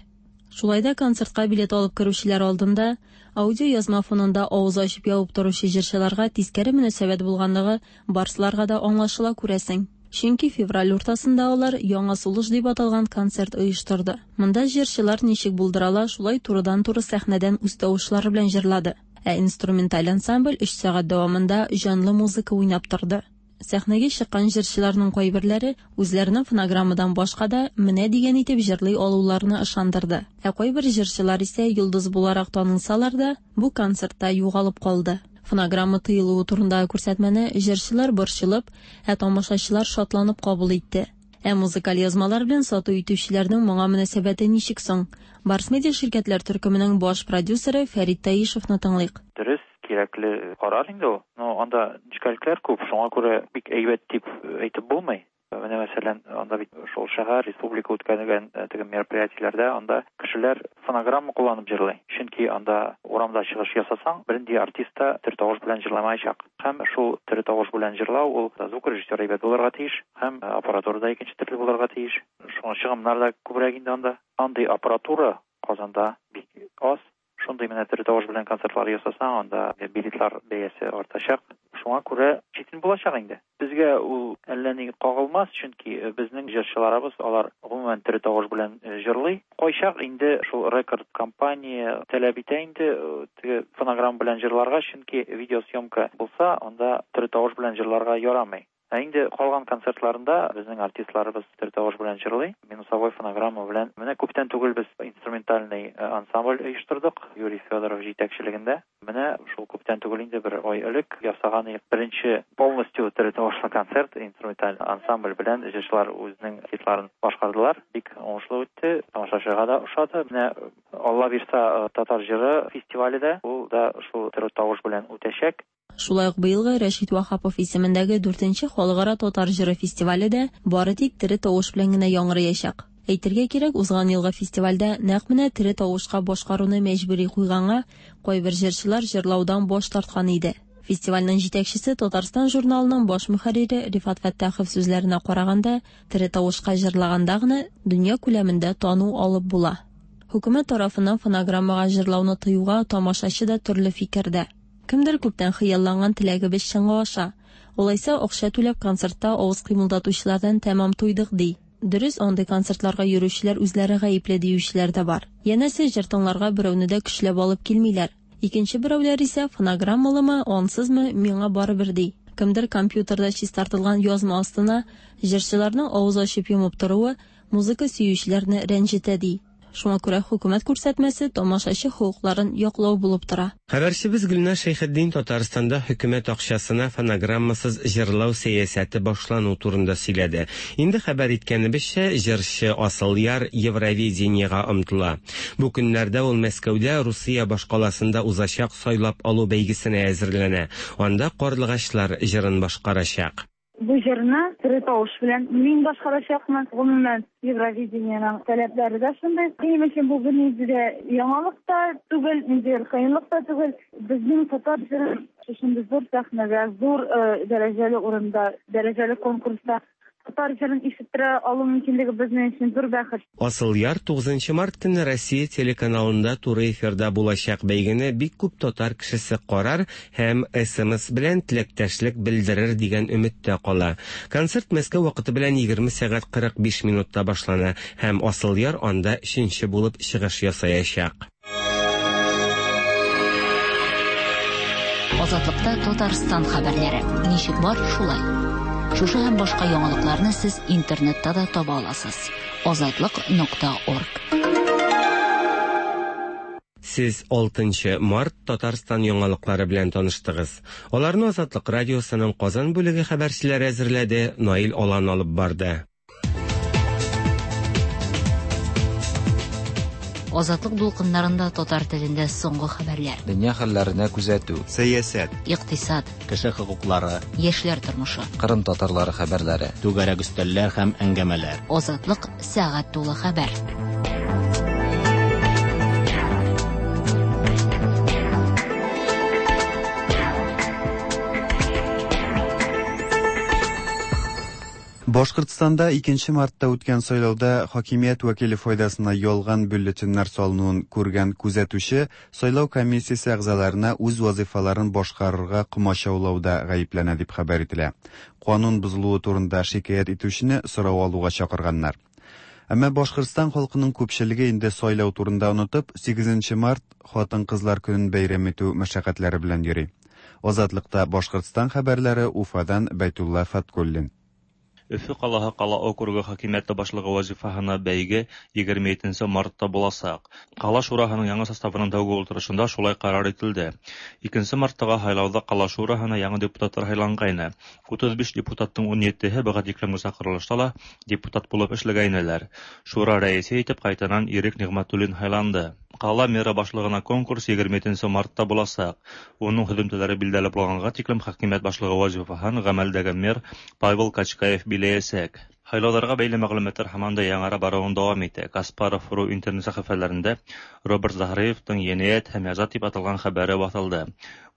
Шулай да концертка билет алып керүчеләр алдында аудио язма фонында авыз ачып ябып торучы җырчыларга тискәре мөнәсәбәт булганлыгы барсларга да аңлашыла күрәсең. Чөнки февраль уртасында алар Яңа сулыш дип аталган концерт оештырды. Монда җырчылар ничек булдырала, шулай турыдан-туры сәхнәдән үз тавышлары белән җырлады. Ә инструменталь ансамбль өч сәгать дәвамында җанлы музыка уйнап торды. Сәхнәгә чыккан җырчыларның кайберләре үзләренең фонограммадан башка да менә дигән итеп җырлый алуларына ышандырды. Ә кайбер җырчылар исә йолдыз буларак танылсалар да, бу концертта югалып калды. Фонограмма тыелуы турындагы күрсәтмәне җырчылар борчылып, ә тамашачылар шатланып кабул итте. Ә музыкаль язмалар белән сату итүчеләрнең моңа мөнәсәбәте ничек соң? Барс Медиа ширкәтләр төркеменең баш продюсеры Фәрит Таишевны тыңлыйк. Дөрес, кирәкле карар инде ул. Но анда нечкәлекләр күп, шуңа күрә бик әйбәт дип әйтеп булмый. Менә мәсәлән, анда бит шул шәһәр, республика үткәргән теге мероприятиеләрдә анда кешеләр фонограмма кулланып җырлый. Чөнки анда урамда чыгыш ясасаң, бернинди артист та тере тавыш белән җырламаячак. Һәм шул тере тавыш белән җырлау ул звукорежиссер әйбәт булырга тиеш, һәм аппаратура да икенче төрле булырга тиеш. Шуңа чыгымнар да күбрәк инде анда. Андый аппаратура Казанда бик аз. Шундый менә тере тавыш белән концертлар ясасаң, анда билетлар бәясе артачак. Шуңа күрә читен булачак инде. Безгә ул әллә ни кагылмас, чөнки безнең җырчыларыбыз алар гомумән тере тавыш белән җырлый. Кайчак инде шул рекорд компания таләп итә инде теге фонограмма белән җырларга, чөнки видеосъемка булса, анда тере тавыш белән җырларга ярамый. Ә инде калган концертларында безнең артистларыбыз тере тавыш белән җырлый, минусовой фонограмма белән. Менә күптән түгел без инструментальный ансамбль оештырдык Юрий Федоров җитәкчелегендә. Менә шул күптән түгел инде бер ай элек ясаган беренче полностью тере тавышлы концерт инструменталь ансамбль белән җырчылар үзенең хитларын башкардылар. Бик уңышлы үтте, тамашачыга да ошады. Менә Алла бирса татар җыры фестивале дә ул да шул тере тавыш белән үтәчәк. Шулай ук быелгы Рәшит Ваһапов исемендәге дүртенче халыкара татар җыры фестивале дә бары тик тере тавыш белән генә яңгыраячак. Әйтергә кирәк, узган елгы фестивальдә нәкъ менә тере тавышка башкаруны мәҗбүри куйганга кайбер җырчылар җырлаудан баш тарткан иде. Фестивальнең җитәкчесе Татарстан журналының баш мөхәррире Рифат Фәттахов сүзләренә караганда, тере тавышка җырлаганда гына дөнья күләмендә тану алып була. Хөкүмәт тарафыннан фонограммага җырлауны тыюга тамашачы да төрле фикердә. Кемдер күптән хыялланган теләгебез чынга аша. Алайса акча түләп концертта авыз кыймылдатучылардан тәмам туйдык ди. Дөрес, андый концертларга йөрүчеләр үзләре гаепле диючеләр дә бар. Янәсе җыр тыңларга берәүне дә көчләп алып килмиләр. Икенче берәүләр исә фонограммалымы, ансызмы, миңа барыбер ди. Кемдер компьютерда чистартылган язма астына җырчыларның авыз ачып йомып торуы музыка сөючеләрне рәнҗетә ди. Шуңа күрә хөкүмәт күрсәтмәсе тамашачы хокукларын яклау булып тора. Хәбәрчебез Гөлназ Шәйхетдин Татарстанда хөкүмәт акчасына фонограммасыз җырлау сәясәте башлану турында сөйләде. Инде хәбәр иткәнебезчә, җырчы Асылъяр Евровидениега омтыла. Бу көннәрдә ул Мәскәүдә Русия башкаласында узачак сайлап алу бәйгесенә әзерләнә. Анда Карлыгачлар җырын башкарачак. Бу җырны тере тавыш белән мин башкарачакмын. Гомумән, Евровидениеның таләпләре дә шундый. Минем өчен бу бернинди дә яңалык та түгел, ниндидер кыенлык та түгел. Безнең татар җырын шушындый зур сәхнәдә, зур дәрәҗәле урында, дәрәҗәле конкурста татар җырын ишеттерә алу мөмкинлеге безнең өчен зур бәхет. Асылъяр тугызынчы март көнне Россия телеканалында туры эфирда булачак бәйгене бик күп татар кешесе карар һәм эс эм эс белән теләктәшлек белдерер дигән өметтә кала. Концерт Мәскәү вакыты белән егерме сәгать кырык биш минутта башлана һәм Асылъяр анда өченче булып чыгыш ясаячак. Азатлыкта Татарстан хәбәрләре. Ничек бар, шулай. Шушы һәм башка яңалыкларны сез интернетта да таба аласыз. Азатлык нокта орг. Сез алтынчы март Татарстан яңалыклары белән таныштыгыз. Аларны Азатлык радиосының Казан бүлеге хәбәрчеләре әзерләде, Наил Алан алып барды. Азатлык дулкыннарында татар телендә соңгы хәбәрләр. Дөнья хәлләренә күзәтү, сәясәт, икътисад, кеше хокуклары, яшьләр тормышы, Кырым татарлары хәбәрләре, түгәрәк өстәлләр һәм әңгәмәләр. Азатлык сәгать тулы хәбәр. Башкортстанда икенче мартта үткән сайлауда хакимият вәкиле файдасына ялган бюллетеннәр салынуын күргән күзәтүче сайлау комиссиясе әгъзаларына үз вазифаларын башкарырга комачаулауда гаепләнә дип хәбәр ителә. Канун бозылуы турында шикаять итүчене сорау алуга чакырганнар. Әмма Башкортстан халкының күпчелеге инде сайлау турында онытып, сигезенче март хатын-кызлар көнен бәйрәм итү мәшәкатьләре белән йөри. Азатлыкта Башкортстан хәбәрләре Уфадан Бәйтулла Фаткуллин. Өфө ҡалаһы ҡала округы хакимиәте башлығы вазифаһына бәйге егерме етенсе мартта буласаҡ. Ҡала шураһының яңы составының тәүге ултырышында шулай ҡарар ителде. Икенсе марттағы һайлауҙа ҡала шураһына яңы депутаттар һайланғайны. Утыҙ биш депутаттың ун етеһе быға тиклемге саҡырылышта ла депутат булып эшләгәйнеләр. Шура рәйесе итеп ҡайтанан Ирек Ниғмәтуллин һайланды. Ҡала мэры башлығына конкурс егерме етенсе мартта буласаҡ. Уның һөҙөмтәләре билдәле булғанға тиклем хакимиәт башлығы вазифаһын ғәмәлдәге мэр Павел Качкаев биләйәсәк. Һайлауҙарға бәйле мәғлүмәттәр һаман да яңара барыуын дауам итә. Каспаров ру интернет сәхифәләрендә Роберт Заһриевтың енәйәт һәм яза тип аталған хәбәре баҫылды.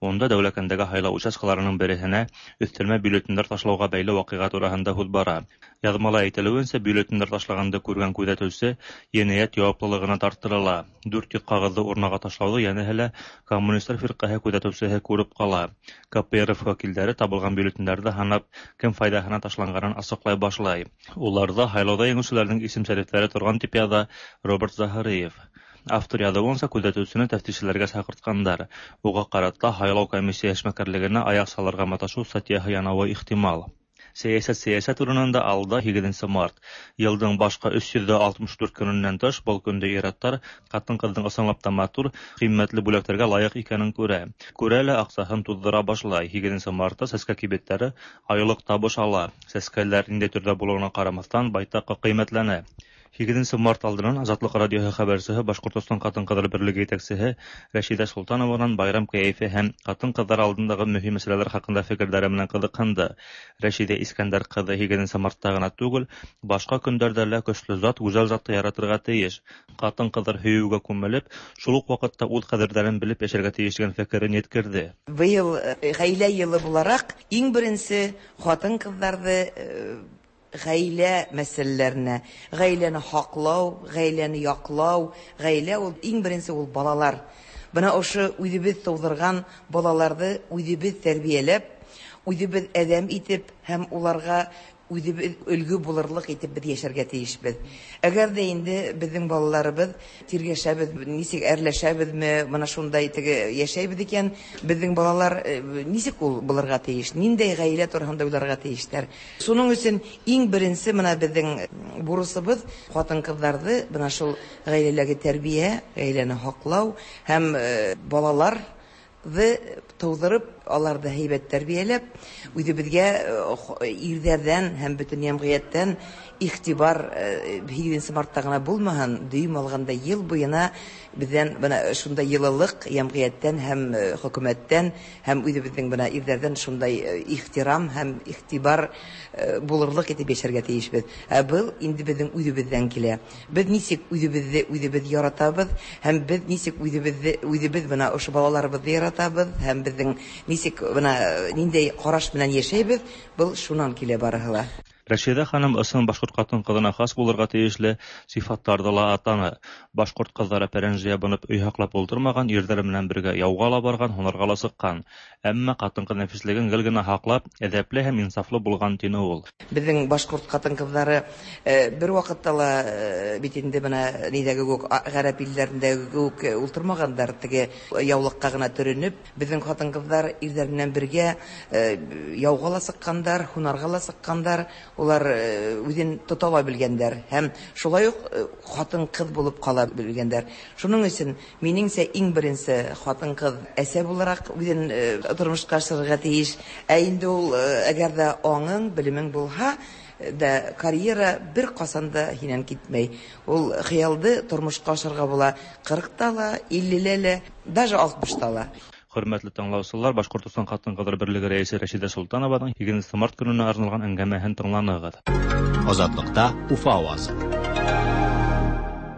Унда Дәүләкәндәге һайлау участкаларының береһенә өҫтәлмә бюллетендәр ташлауға бәйле ваҡиға тураһында һүҙ бара. Яҙмала әйтелеүенсә, бюллетендәр ташлағанды күргән күҙәтеүсе енәйәт яуаплылығына тарттырыла. Дүрт йөҙ ҡағыҙҙы урнаға ташлауҙы йәнәһе лә Коммунистар фирҡәһе күҙәтеүсеһе күреп ҡала. Ка Пэ Эр Эф вәкилдәре табылған бюллетендәрҙе һанап, кем файҙаһына ташланғанын асыҡлай башлай. Уларҙа һайлауҙа еңеүселәрҙең исем-шәрифтәре торған тип яҙа Роберт Заһриев. Автор яҙыуынса, күҙәтеүсене тәфтишселәргә саҡыртҡандар. Уға ҡарата һайлау комиссия эшмәкәрлегенә аяҡ салырға маташыу статьяһы янауы ихтимал. Сәйәсәт сәйәсәт урынында алда һигеҙенсе март. Йылдың башҡа өс йөҙ алтмыш дүрт көнөнән тыш был көндә ир-аттар ҡатын-ҡыҙҙың ысынлап та матур, ҡиммәтле бүләктәргә лайыҡ икәнен күрә. Күрә лә аҡсаһын туҙҙыра башлай. Һигеҙенсе мартта сәскә кибеттәре айлыҡ табыш ала. Сәскәләр ниндәй төрҙә булыуына ҡарамаҫтан байтаҡ ҡиммәтләнә. Һигеҙенсе март алдынан Азатлыҡ радиоһы хәбәрсеһе Башҡортостан ҡатын-ҡыҙҙар берлеге етәксеһе Рәшиҙә Солтанованан байрам кәйефе һәм ҡатын-ҡыҙҙар алдындағы мөһим мәсьәләләр хаҡында фекерҙәре менән ҡыҙыҡһынды. Рәшиҙә Искәндәр ҡыҙы һигеҙенсе мартта ғына түгел, башҡа көндәрҙә лә көслө зат, гүзәл затты яратырға тейеш. Ҡатын-ҡыҙҙар һөйөүгә күмелеп, шул уҡ ваҡытта үҙ ҡәҙерҙәрен белеп йәшәргә тейеш тигән фекерен еткерҙе. Быйыл ғаилә йылы булараҡ иң беренсе ҡатын-ҡыҙҙарҙы ғаилә мәсьәләләренә, ғаиләне һаҡлау, ғаиләне яҡлау, ғаилә ул иң беренсе ул балалар. Бына ошо үҙебеҙ тыуҙырған балаларҙы үҙебеҙ тәрбиәләп, үҙебеҙ әҙәм итеп һәм уларға үҙебеҙ өлгө булырлыҡ итеп беҙ йәшәргә тейешбеҙ. Әгәр ҙә инде беҙҙең балаларыбыҙ тиргәшәбеҙ, нисек әрләшәбеҙме, бына шундай теге йәшәйбеҙ икән, беҙҙең балалар нисек ул булырға тейеш, ниндәй ғаилә тураһында уйларға тейештәр. Шуның өсөн иң беренсе бына беҙҙең бурысыбыҙ ҡатын-ҡыҙҙарҙы бына шул ғаиләләге тәрбиә, ғаиләне һаҡлау һәм балалар тыуҙырып, аларҙы һәйбәт тәрбиәләп, үҙебеҙгә ирҙәрҙән һәм бөтөн йәмғиәттән иғтибар һигеҙенсе мартта ғына булмаһын, дөйөм алғанда йыл буйына беҙҙән бына шундай йылылыҡ йәмғиәттән һәм хөкүмәттән һәм үҙебеҙҙең бына ирҙәрҙән шундай ихтирам һәм иғтибар булырлыҡ итеп йәшәргә тейешбеҙ. Ә был инде беҙҙең үҙебеҙҙән килә. Беҙ нисек үҙебеҙҙе үҙебеҙ яратабыҙ һәм беҙ нисек үҙебеҙҙе үҙебеҙ бына ошо балаларыбыҙҙы яратабыҙ һәм беҙҙең нисек бына ниндәй ҡараш менән йәшәйбеҙ, был шунан килә барыһы ла. Рәшиҙә ханым ысын башҡорт ҡатын-ҡыҙына хас булырға тейешле сифаттарҙы ла атаны. Башҡорт ҡыҙҙары пәрәнж ябынып өй һаҡлап ултырмаған, ирҙәре менән бергә яуға ла барған, һунарға ла сыҡҡан. Әммә ҡатын-ҡыҙ нәфислеген гел генә һаҡлап, әҙәпле һәм инсафлы булған, тине ул. Беҙҙең башҡорт ҡатын-ҡыҙҙары бер ваҡытта ла бит инде бына ниҙәге үк, ғәрәп илдәрендәге үк ултырмағандар, теге яулыҡҡа ғына төрөнөп, беҙҙең ҡатын-ҡыҙҙар ирҙәр менән бергә яуға ла сыҡҡандар, һунарға ла сыҡҡандар. Улар үҙен тота ла белгәндәр һәм шулай уҡ ҡатын-ҡыҙ булып ҡала белгәндәр. Шуның өсөн минеңсә иң беренсе ҡатын-ҡыҙ әсә булараҡ үҙен тормошҡа ашырырға тейеш. Ә инде ул әгәр ҙә аңың, белемең булһа, да карьера бер ҡасан да һинән китмәй. Ул хыялды тормошҡа ашырға була ҡырҡта ла, иллелә лә, даже алтмышта ла. Хөрмәтле тыңлаусылар, Башҡортостан ҡатын-ҡыҙҙар берлеге рәйесе Рәшиҙә Солтанованың һигеҙенсе март көнөнә арналған әңгәмәһен тыңланығыҙ. Азатлыҡта Уфа ауазы.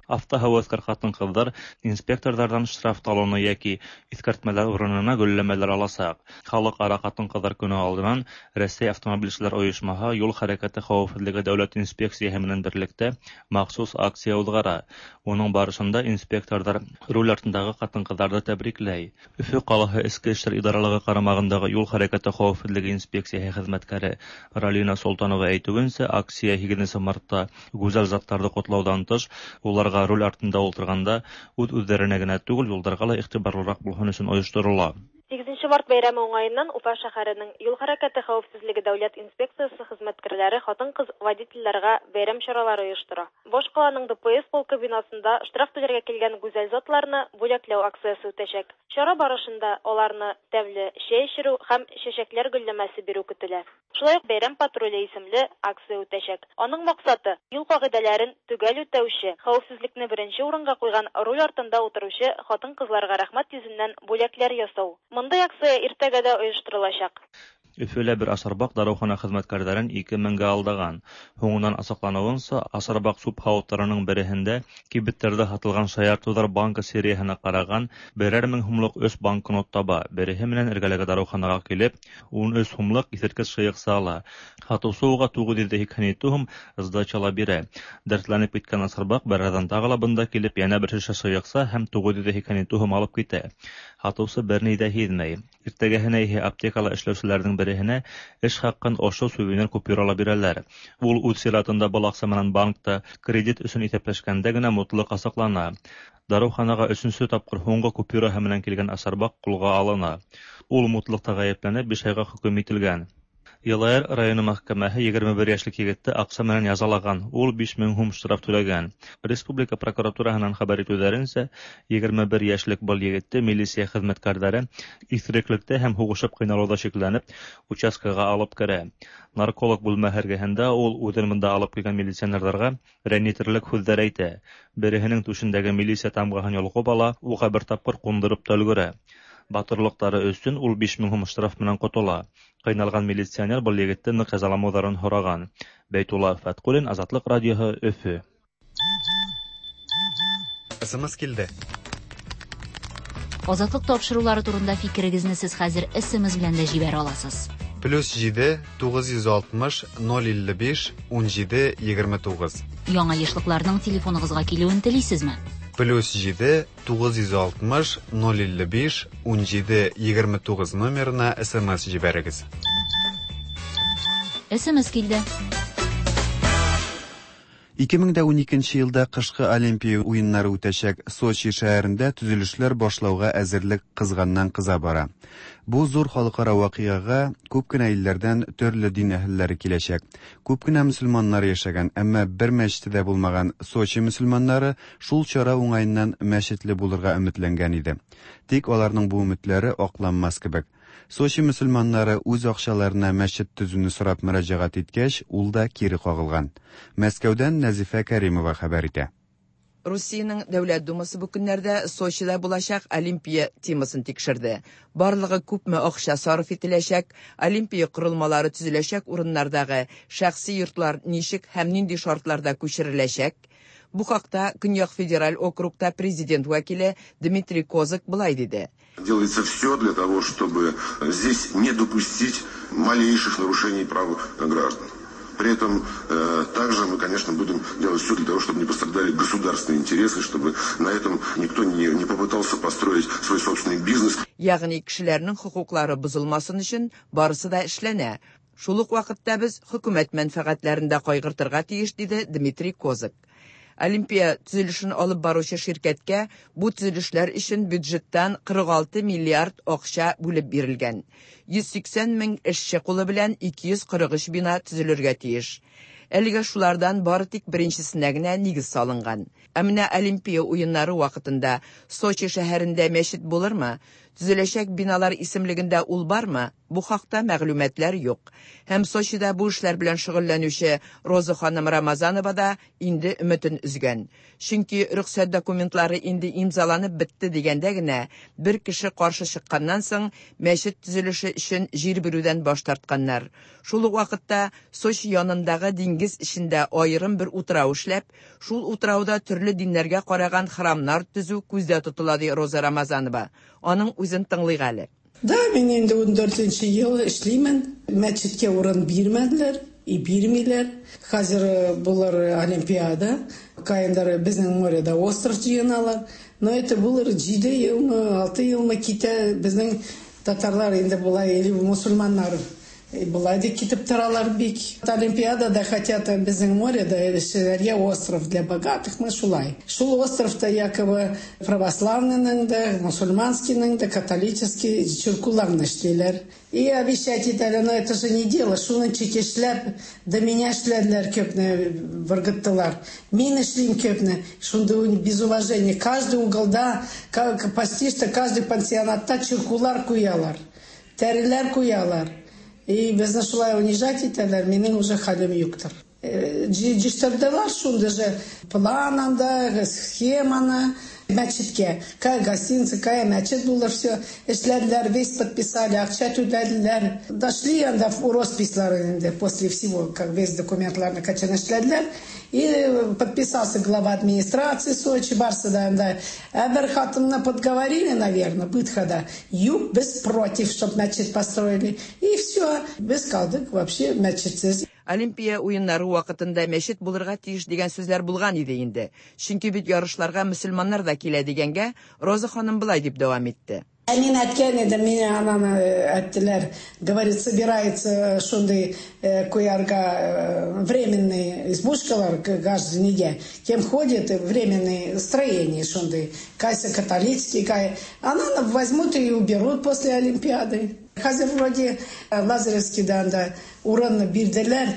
Автоһәүәҫкәр ҡатын-ҡыҙҙар инспекторҙарҙан штраф талоны йәки иҫкәртмәләр урынына гөлләмәләр аласаҡ. Халыҡ-ара ҡатын-ҡыҙҙар көнө алдынан Рәсәй автомобилселәр ойошмаһы юл хәрәкәте хәүефһеҙлеге дәүләт инспекцияһы менән берлектә махсус акция уҙғара. Уның барышында инспекторҙар руль артындағы ҡатын-ҡыҙҙарҙы тәбрикләй. Өфө ҡалаһы Эске эштәр идаралығы ҡарамағындағы юл хәрәкәте хәүефһеҙлеге инспекцияһы хеҙмәткәре Ралина Солтанова әйтеүенсә, акция һигеҙенсе мартта гүзәл заттарҙы ҡотлауҙан тыш, уларға руль артында ултырғанда үҙ-үҙҙәренә генә түгел, юлдарға ла иғтибарлыраҡ булһын өсөн ойошторола. Һигеҙенсе Алтынчы март бәйрәме уңаеннан Уфа шәһәренең юл хәрәкәте хәвефсезлеге дәүләт инспекциясе хезмәткәрләре хатын-кыз водительләргә бәйрәм чаралары оештыра. Башкаланың Д П С полкы бинасында штраф түләргә килгән гүзәл затларны бүләкләү акциясе үтәчәк. Чара барышында аларны тәмле чәй эчерү һәм чәчәкләр гөлләмәсе бирү көтелә. Шулай ук «Бәйрәм патруле» исемле акция үтәчәк. Аның максаты юл кагыйдәләрен төгәл үтәүче, хәвефсезлекне беренче урынга куйган руль артында утыручы хатын-кызларга рәхмәт йөзеннән бүләкләр ясау. Мондый акция иртәгә дә оештырылачак. Өфөлә бер асарбаҡ дарыухана хеҙмәткәрҙәрен ике меңгә алдаған. Һуңынан асыҡланыуынса, асарбаҡ сүп һауыттарының береһендә кибеттәрҙә һатылған шаяртыуҙар банкы серияһына ҡараған берәр мең һумлыҡ өс банкнот таба. Береһе менән эргәләге дарыуханаға килеп, ун өс һумлыҡ иҫерткес шыйыҡса ала. Һатыусы уға туғыҙ йөҙ һикһән ете һум сдача ла бирә. Дәртләнеп киткән асарбаҡ бер аҙҙан тағы ла бында килеп, йәнә бер шешә шыйыҡса һәм туғыҙ йөҙ һикһән ете һум алып китә. Һатыусы бер ни ҙә һиҙмәй. Иртәгәһенә иһә аптекала эшләүселәрҙең береһенә эш хаҡын ошо сувенир купюрала бирәләр. Ул үҙ сиратында был аҡса менән банкта кредит өсөн иҫәпләшкәндә генә мутлыҡ асыҡлана. Дарыуханаға өсөнсө тапҡыр һуңғы купюраһы менән килгән асарбаҡ ҡулға алына. Ул мутлыҡта ғәйепләнеп, биш айға хөкөм ителгән. Йылайыр районы мәхкәмәһе егерме бер йәшлек егетте аҡса менән язалаған. Ул биш мең һум штраф түләгән. Республика прокуратураһынан хәбәр итеүҙәренсә, егерме бер йәшлек был егетте милиция хеҙмәткәрҙәре иҫереклектә һәм һуғышып ҡыйналыуҙа шикләнеп, участкаға алып керә. Нарколог бүлмәһе эргәһендә ул үҙен бында алып килгән милиционерҙарға рәнйетерлек һүҙҙәр әйтә. Береһенең түшендәге милиция тамғаһын йолҡоп ала, уға бер тапҡыр ҡундырып та өлгөрә. Батырлыҡтары өсөн ул биш мең һум штраф менән ҡотола. Ҡыйналған милиционер был егетте ныҡ язаламауҙарын һораған. Бәйтулла Фәтҡуллин, Азатлыҡ радиоһы, Өфө. С М С килде. Азатлык тапшырулары турында фикерегезне сез хәзер С М С белән дә җибәрә аласыз. Плюс җиде тугыз йөз алтмыш ноль илле биш унҗиде егерме тугыз. Яңа ешлыкларның телефоныгызга килүен телисезме? Плюс җиде тугыз йөз алтмыш ноль илле биш унҗиде егерме тугыз номерына С М С җибәрегез. С М С килде. ике мең дә уникенче елда кышкы Олимпия уеннары үтәчәк Сочи шәһәрендә төзелешләр башлауга әзерлек кызганнан кыза бара. Бу зур халыкара вакыйгага күп кенә илләрдән төрле дин әһелләре киләчәк. Күп кенә мөселманнар яшәгән, әмма бер мәчете дә булмаган Сочи мөселманнары шул чара уңаеннан мәчетле булырга өметләнгән иде. Тик аларның бу өметләре акланмас кебек. Сочи мөселманнары үз акчаларына мәчет төзүне сорап мөрәҗәгать иткәч, ул да кире кагылган. Мәскәүдән Нәзифә Кәримова хәбәр итә. Русиянең Дәүләт Думасы бу көннәрдә Сочида булачак Олимпия темасын тикшерде. Барлыгы күпме акча сарыф ителәчәк, Олимпия корылмалары төзеләчәк урыннардагы шәхси йортлар ничек һәм нинди шартларда күчереләчәк? Бу хакта Көньяк федераль округта президент вәкиле Дмитрий Козак болай диде. Делается все для того, чтобы здесь не допустить малейших нарушений прав граждан. При этом э, также мы, конечно, будем делать все для того, чтобы не пострадали государственные интересы, чтобы на этом никто не, не попытался построить свой собственный бизнес. Ягъни кешеләрнең хокуклары бозылмасын өчен барысы да эшләнә. Шул ук вакытта без хөкүмәт мәнфәгатьләрен дә кайгыртырга тиеш, диде Дмитрий Козак. Олимпия төзелешен алып баручы ширкәткә бу төзелешләр өчен бюджеттан кырык алты миллиард акча бүлеп бирелгән. йөз сиксән мең эшче кулы белән ике йөз кырык өч бина төзелергә тиеш. Әлегә шулардан бары тик беренчесенә генә нигез салынган. Ә менә Олимпия уеннары вакытында Сочи шәһәрендә мәчет булырмы? Төзеләчәк биналар исемлегендә ул бармы? Бу хакта мәгълүматлар юк. Һәм Сочида бу эшләр белән шөгыльләнүче Роза ханым Рамазанова да инде өметен өзгән. Чөнки рөхсәт документлары инде имзаланып бетте дигәндә генә бер кеше каршы чыкканнан соң мәчет төзелеше өчен җир бирүдән баш тартканнар. Шул ук вакытта Сочи янындагы диңгез эчендә аерым бер утрау эшләп, шул утрауда төрле диннәргә караган храмнар төзү күздә тотыла, ди Роза Рамазанова. Аның үзен тыңлыйк әле. Да, мин инде ундүртенче ел эшлимен. Мәчеткә урын бирмәделәр и бирмиләр. Хәзер булыр Олимпиада. Каендар безнең моряда остров җыеналар. Но это булыр җиде елмы, алты елмы китә. Безнең татарлар инде болай или мусульманнар Болай да китеп торалар бик. Олимпиадада хотят безнең моряда эшләргә остров для богатых, мы шулай. Шул островта якобы православныйның да, мусульманскийның да, католический чиркуларны эшлиләр. И обещать итәләр, но это же не дело. Шуны чекешләп, до меня эшләделәр көпне, выргыттылар. Мин эшлим көпне. Шунда без уважения. Каждый уголда, почти что каждый пансионатта чиркулар куялар. Тәреләр куялар. И безне шулай унижать итәләр, минем уже хәлем юктыр. Җыштырдылар шунда же план анда, схеманы, мәчеткә. Кая гостиница, кая мәчет булыр, все. Эшләделәр, весь подписали, акча түләделәр. Дошли анда в росписьлар инде, после всего, как весь документларны качан эшләделәр. И подписался глава администрации Сочи, барсы да анда. Ә бер хатынны подговорили, наверное, бытхада. Юк, без против, чтоб мәчет построили. И все, без калдык вообще мәчетсез. Олимпия уеннары вакытында мәчет булырга тиеш дигән сүзләр булган иде инде. Чөнки бит ярышларга мөселманнар да килә дигәнгә Роза ханым былай дип дәвам итте. Мин әйткән идем, мине ананы әйттеләр, говорит, собирается шундый куярга временный избушкалар граждане, кем ходит временные строения шундый, кайсы католический, кай, ананы возьмут и уберут после Олимпиады. Хәзер вроде Лазаревскийда анда урынны бирделәр,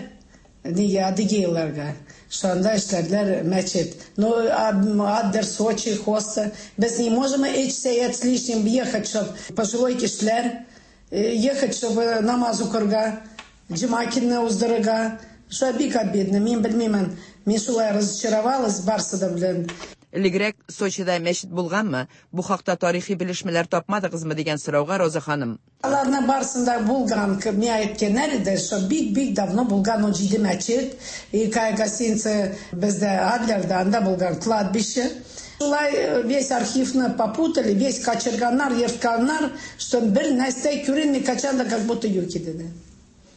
нигә адыгейларга. Шунда эшләделәр мәчет. Но Аддер, Сочи, Хоста. Без не можем өч сәгать с лишним ехать, чтоб пожилой кешеләр, ехать, чтобы намаз укырга, җомакинны уздырырга. Шулай бик обидно. Мин белмимен, мин шулай разочаровалась барсы да белән. Элегрәк Сочида мәчет булганмы? Бу хакта тарихи белешмәләр тапмадыгызмы дигән сорауга Роза ханым. Аларның барсында булган, миңа әйткәннәр иде, что бик-бик давно булган ун җиде мәчет, и кая гостиница бездә Адлерда анда булган кладбище. Шулай весь архивны попутали, весь качырганнар, ертканнар, что бер нәрсә күренми, качан да как будто юк иде.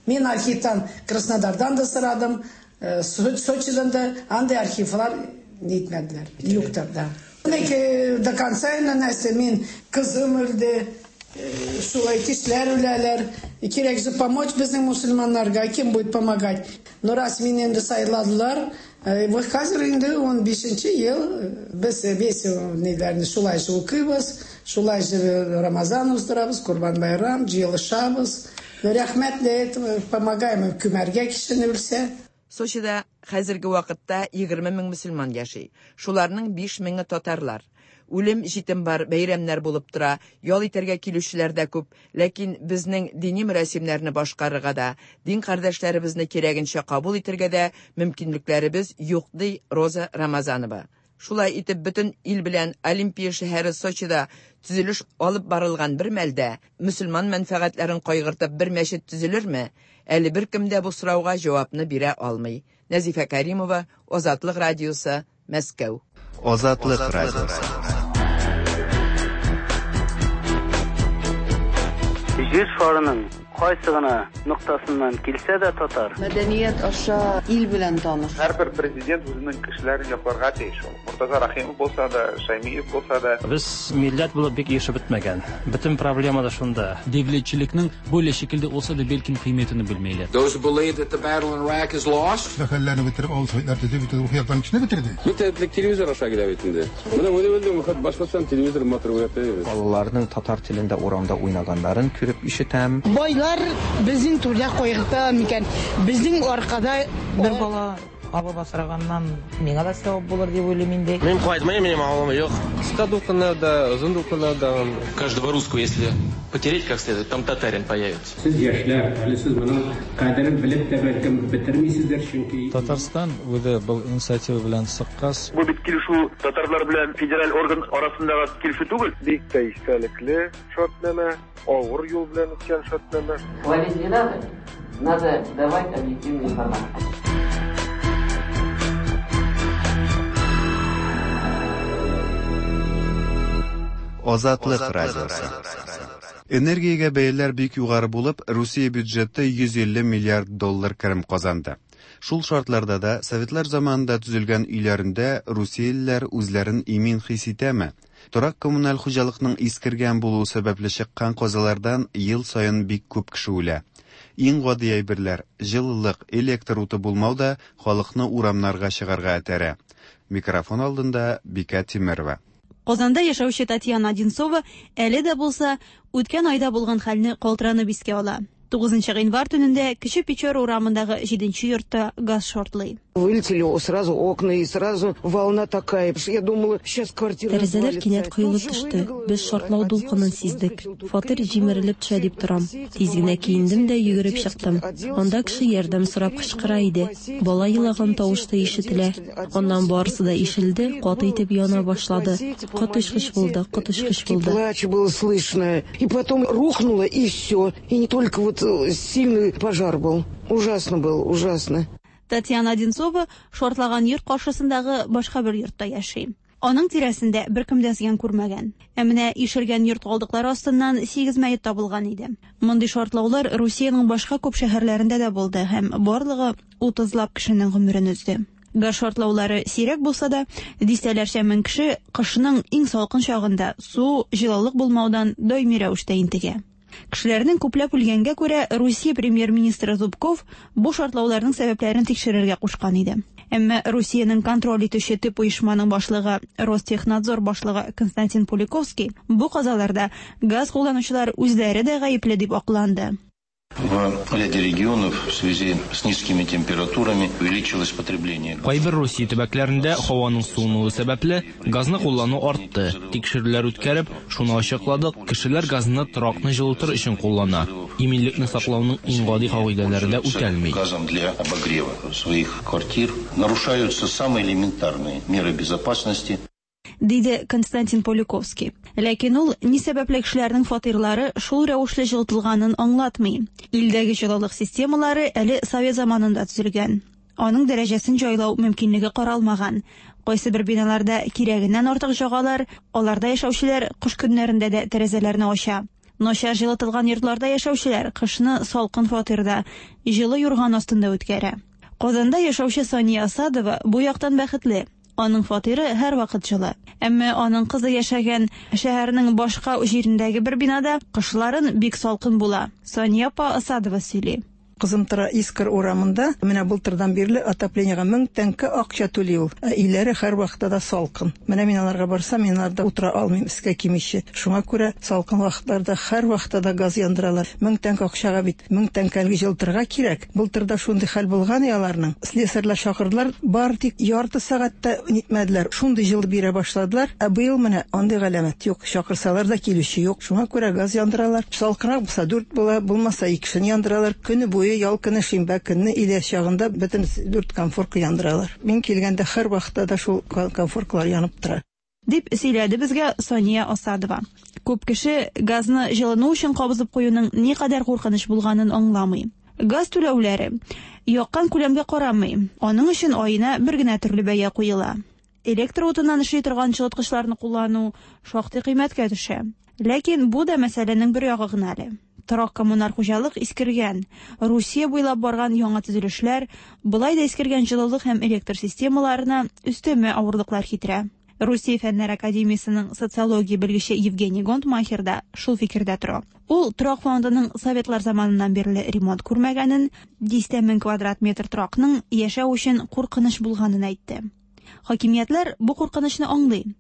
Мин архивтан Краснодардан да сорадым, Сочидан да, андый архивлар нитмәделәр, юктыр да. До конца нәрсә, мин кызым үлде, шулай кешеләр үләләр. Кирәк же помочь безнең мусульманнарга, кем будет помогать? Но раз мине инде сайладылар, вот хәзер инде ун бишенче ел без весь ниләрне шулай же укыйбыз, шулай же Рамазан уздырабыз, Курбан байрам, җыелышабыз. Рәхмәт для этого помогаем күмәргә кешене үлсә. Сочида хәзерге вакытта егерме мең мөселман яши. Шуларның биш меңе татарлар. Үлем җитем бар, бәйрәмнәр булып тора, ял итәргә килүчеләр дә күп, ләкин безнең дини мөрәсимнәрне башкарырга да, дин кардәшләребезне кирәгенчә кабул итәргә дә мөмкинлекләребез юк, ди Роза Рамазанова. Шулай итеп бөтен ил белән Олимпия шәһәре Сочида төзелеш алып барылган бер мәлдә мөселман мәнфәгатьләрен кайгыртып бер мәчет төзелерме? Әле беркем дә бу сорауга җавапны бирә алмый. Нәзифә Каримова, Азатлык радиосы, Мәскәү. Азатлык радиосы. Җир шарының кайсы гына ноктасыннан килсә дә татар. Мәдәният аша ил белән таныш. Һәрбер президент үзенең кешеләрен якларга тиеш. Муртаза Рахимов булса да, Шаймиев булса да. Без милләт булып бик ирешеп бетмәгән. Бөтен проблема да шунда. Devletçilikning böyle şekilde olsa da belki kıymetini bilmeyler. Those who believe that the battle in Iraq is lost. Хәлләрне бетереп, авыл советлар төзеп, бөтен рухи яктан кешене бетерде. Бөтен телевизор аша килә бит инде. Менә үзе Башкортстан телевизор матур күрәтә. Балаларның татар телендә урамда уйнаганнарын күреп ишетәм. Байлар безнең түрдә кайгырта микән? Безнең аркада бер бала абып асраганнан миңа да савап булыр дип уйлыйм инде. Мин кайтмыйм, минем авылым юк. Кыска дулкыннарда, озын дулкыннарда. Каждого русского, если потереть как следует, там татарин появится. Сез яшьләр, әле сез моның кадерен белеп тә бәлкем бетермисездер, чөнки Татарстан үзе был инициатива белән чыккач. Бу бит килешү татарлар белән федераль орган арасындагы килешү түгел. Бик тә истәлекле шартнамә, авыр юл белән үткән шартнамә. Хвалить не надо, надо давать объективную информацию. Азатлык радиосы. Энергиягә бәяләр бик югары булып, Русия бюджеты йөз илле миллиард доллар керем казанды. Шул шартларда да Советлар заманында төзелгән өйләрендә русиялеләр үзләрен имин хис итәме? Торак коммуналь хуҗалыкның искергән булуы сәбәпле чыккан казалардан ел саен бик күп кеше үлә. Иң гади әйберләр, җылылык, электр уты булмау да халыкны урамнарга чыгарга этәрә. Микрофон алдында Бикә Тимерова. Казанда яшәүче Татьяна Одинцова әле дә булса үткән айда булган хәлне калтыранып искә ала. Тугызынчы гыйнвар төнендә Кече Печора урамындагы җиденче йортта газ шартлый. Вылетели сразу окна и сразу волна такая. Я думала, сейчас квартира Тәрәзәләр кинәт коелып төште. Без шартлау дулкынын сиздек. Фатир җимерелеп төшә дип торам. Тиз генә киендем дә йөгереп чыктым. Анда кеше ярдәм сорап кычкыра иде. Бала елаган тавыш та ишетелә. Аннан барысы да ишелде, каты итеп яна башлады. Коточкыч булды, коточкыч булды. Плач было слышно. И потом рухнуло, и все. И не только вот сильный пожар был. Ужасно был, ужасно. Татьяна Одинцова шартлаган йорт каршысындагы башка бер йортта яши. Аның тирәсендә беркем дә зыян күрмәгән. Ә менә ишелгән йорт калдыклары астыннан сигез мәет табылган иде. Мондый шартлаулар Русиянең башка күп шәһәрләрендә дә булды һәм барлыгы утызлап кешенең гомерен өзде. Газ шартлаулары сирәк булса да, дистәләрчә мең кеше кышның иң салкын чагында су, җылылык булмаудан даими рәвештә интегә. Кешеләрнең күпләп үлгәнгә күрә Русия премьер-министры Зубков бу шартлауларның сәбәпләрен тикшерергә кушкан иде. Әмма Русиянең контроль итүче төп оешманың башлыгы Ростехнадзор башлыгы Константин Пуликовский бу казаларда газ кулланучылар үзләре дә гаепле дип акланды. В ряде регионов в связи с низкими температурами увеличилось потребление. Кайбер Русия төбәкләрендә һаваның суынуы сәбәпле газны куллану артты. Тикшерүләр үткәреп, шуны ачыкладык, кешеләр газны торакны җылытыр өчен куллана. Иминлекне саклауның иң гади кагыйдәләре дә үтәлми. Газом для обогрева своих квартир нарушаются самые элементарные меры безопасности. Диде Константин Поликовский. Ләкин ул ни сәбәпле кешеләрнең фатирлары шул рәвешле җылытылганын аңлатмый. Илдәге җылылык системалары әле совет заманында төзелгән. Аның дәрәҗәсен җайлау мөмкинлеге каралмаган. Кайсы бер биналарда кирәгеннән артык җагалар, аларда яшәүчеләр кыш көннәрендә дә тәрәзәләрне ача. Начар җылытылган йортларда яшәүчеләр кышны салкын фатирда, җылы юрган астында үткәрә. Казанда яшәүче Сания Асадова бу яктан бәхетле. Аның фатиры һәр вакыт җылы. Әмма аның кызы яшәгән шәһәрнең башка җирендәге бер бинада кышларын бик салкын була. Сания апа Асадова сөйли. Кызым тора Искр урамында, менә былтырдан бирле отоплениега мең тәңкә акча түли ул. Ә өйләре һәр вакытта да салкын. Менә мин аларга барсам, мин аларда утыра алмыйм, өскә кимичә. Шуңа күрә салкын вакытларда һәр вакытта да газ яндыралар. Мең тәңкә акчага бит, мең тәңкәлге җылытырга кирәк. Былтырда шундый хәл булган аларның. Слесарьлар чакырдылар, бар тик ярты сәгатьтә нитмәделәр. Шундый җылы бирә башладылар. Ә быел менә андый галәмәт юк. Чакырсалар да килүче юк. Шуңа күрә газ яндыралар. Салкынрак булса дүрт була, булмаса икесен яндыралар. Көне буе ял көне, шимбә көнне илә чагында бөтен дүрт комфорка яндыралар. Мин килгәндә һәр вакытта да шул комфоркалар янып тора. Дип сөйләде безгә Сания Асадова. Күп кеше газны җылыну өчен кабызып куюның никадәр куркыныч булганын аңламый. Газ түләүләре яккан күләмгә карамый. Аның өчен аена бер генә төрле бәя куела. Электр утыннан эшли торган җылыткычларны куллану шактый кыйммәткә төшә. Ләкин бу да мәсьәләнең бер ягы гына әле. Торак коммуналь хуҗалык искергән. Русия буйлап барган яңа төзелешләр былай да искергән җылылык һәм электр системаларына өстәмә авырлыклар китерә. Русия Фәннәр академиясенең социология белгече Евгений Гонтмахер да шул фикердә тора. Ул торак фондының советлар заманыннан бирле ремонт күрмәгәнен, дистә мең квадрат метр торакның яшәү өчен куркыныч булганын әйтте. Хакимиятләр бу куркынычны аңлый.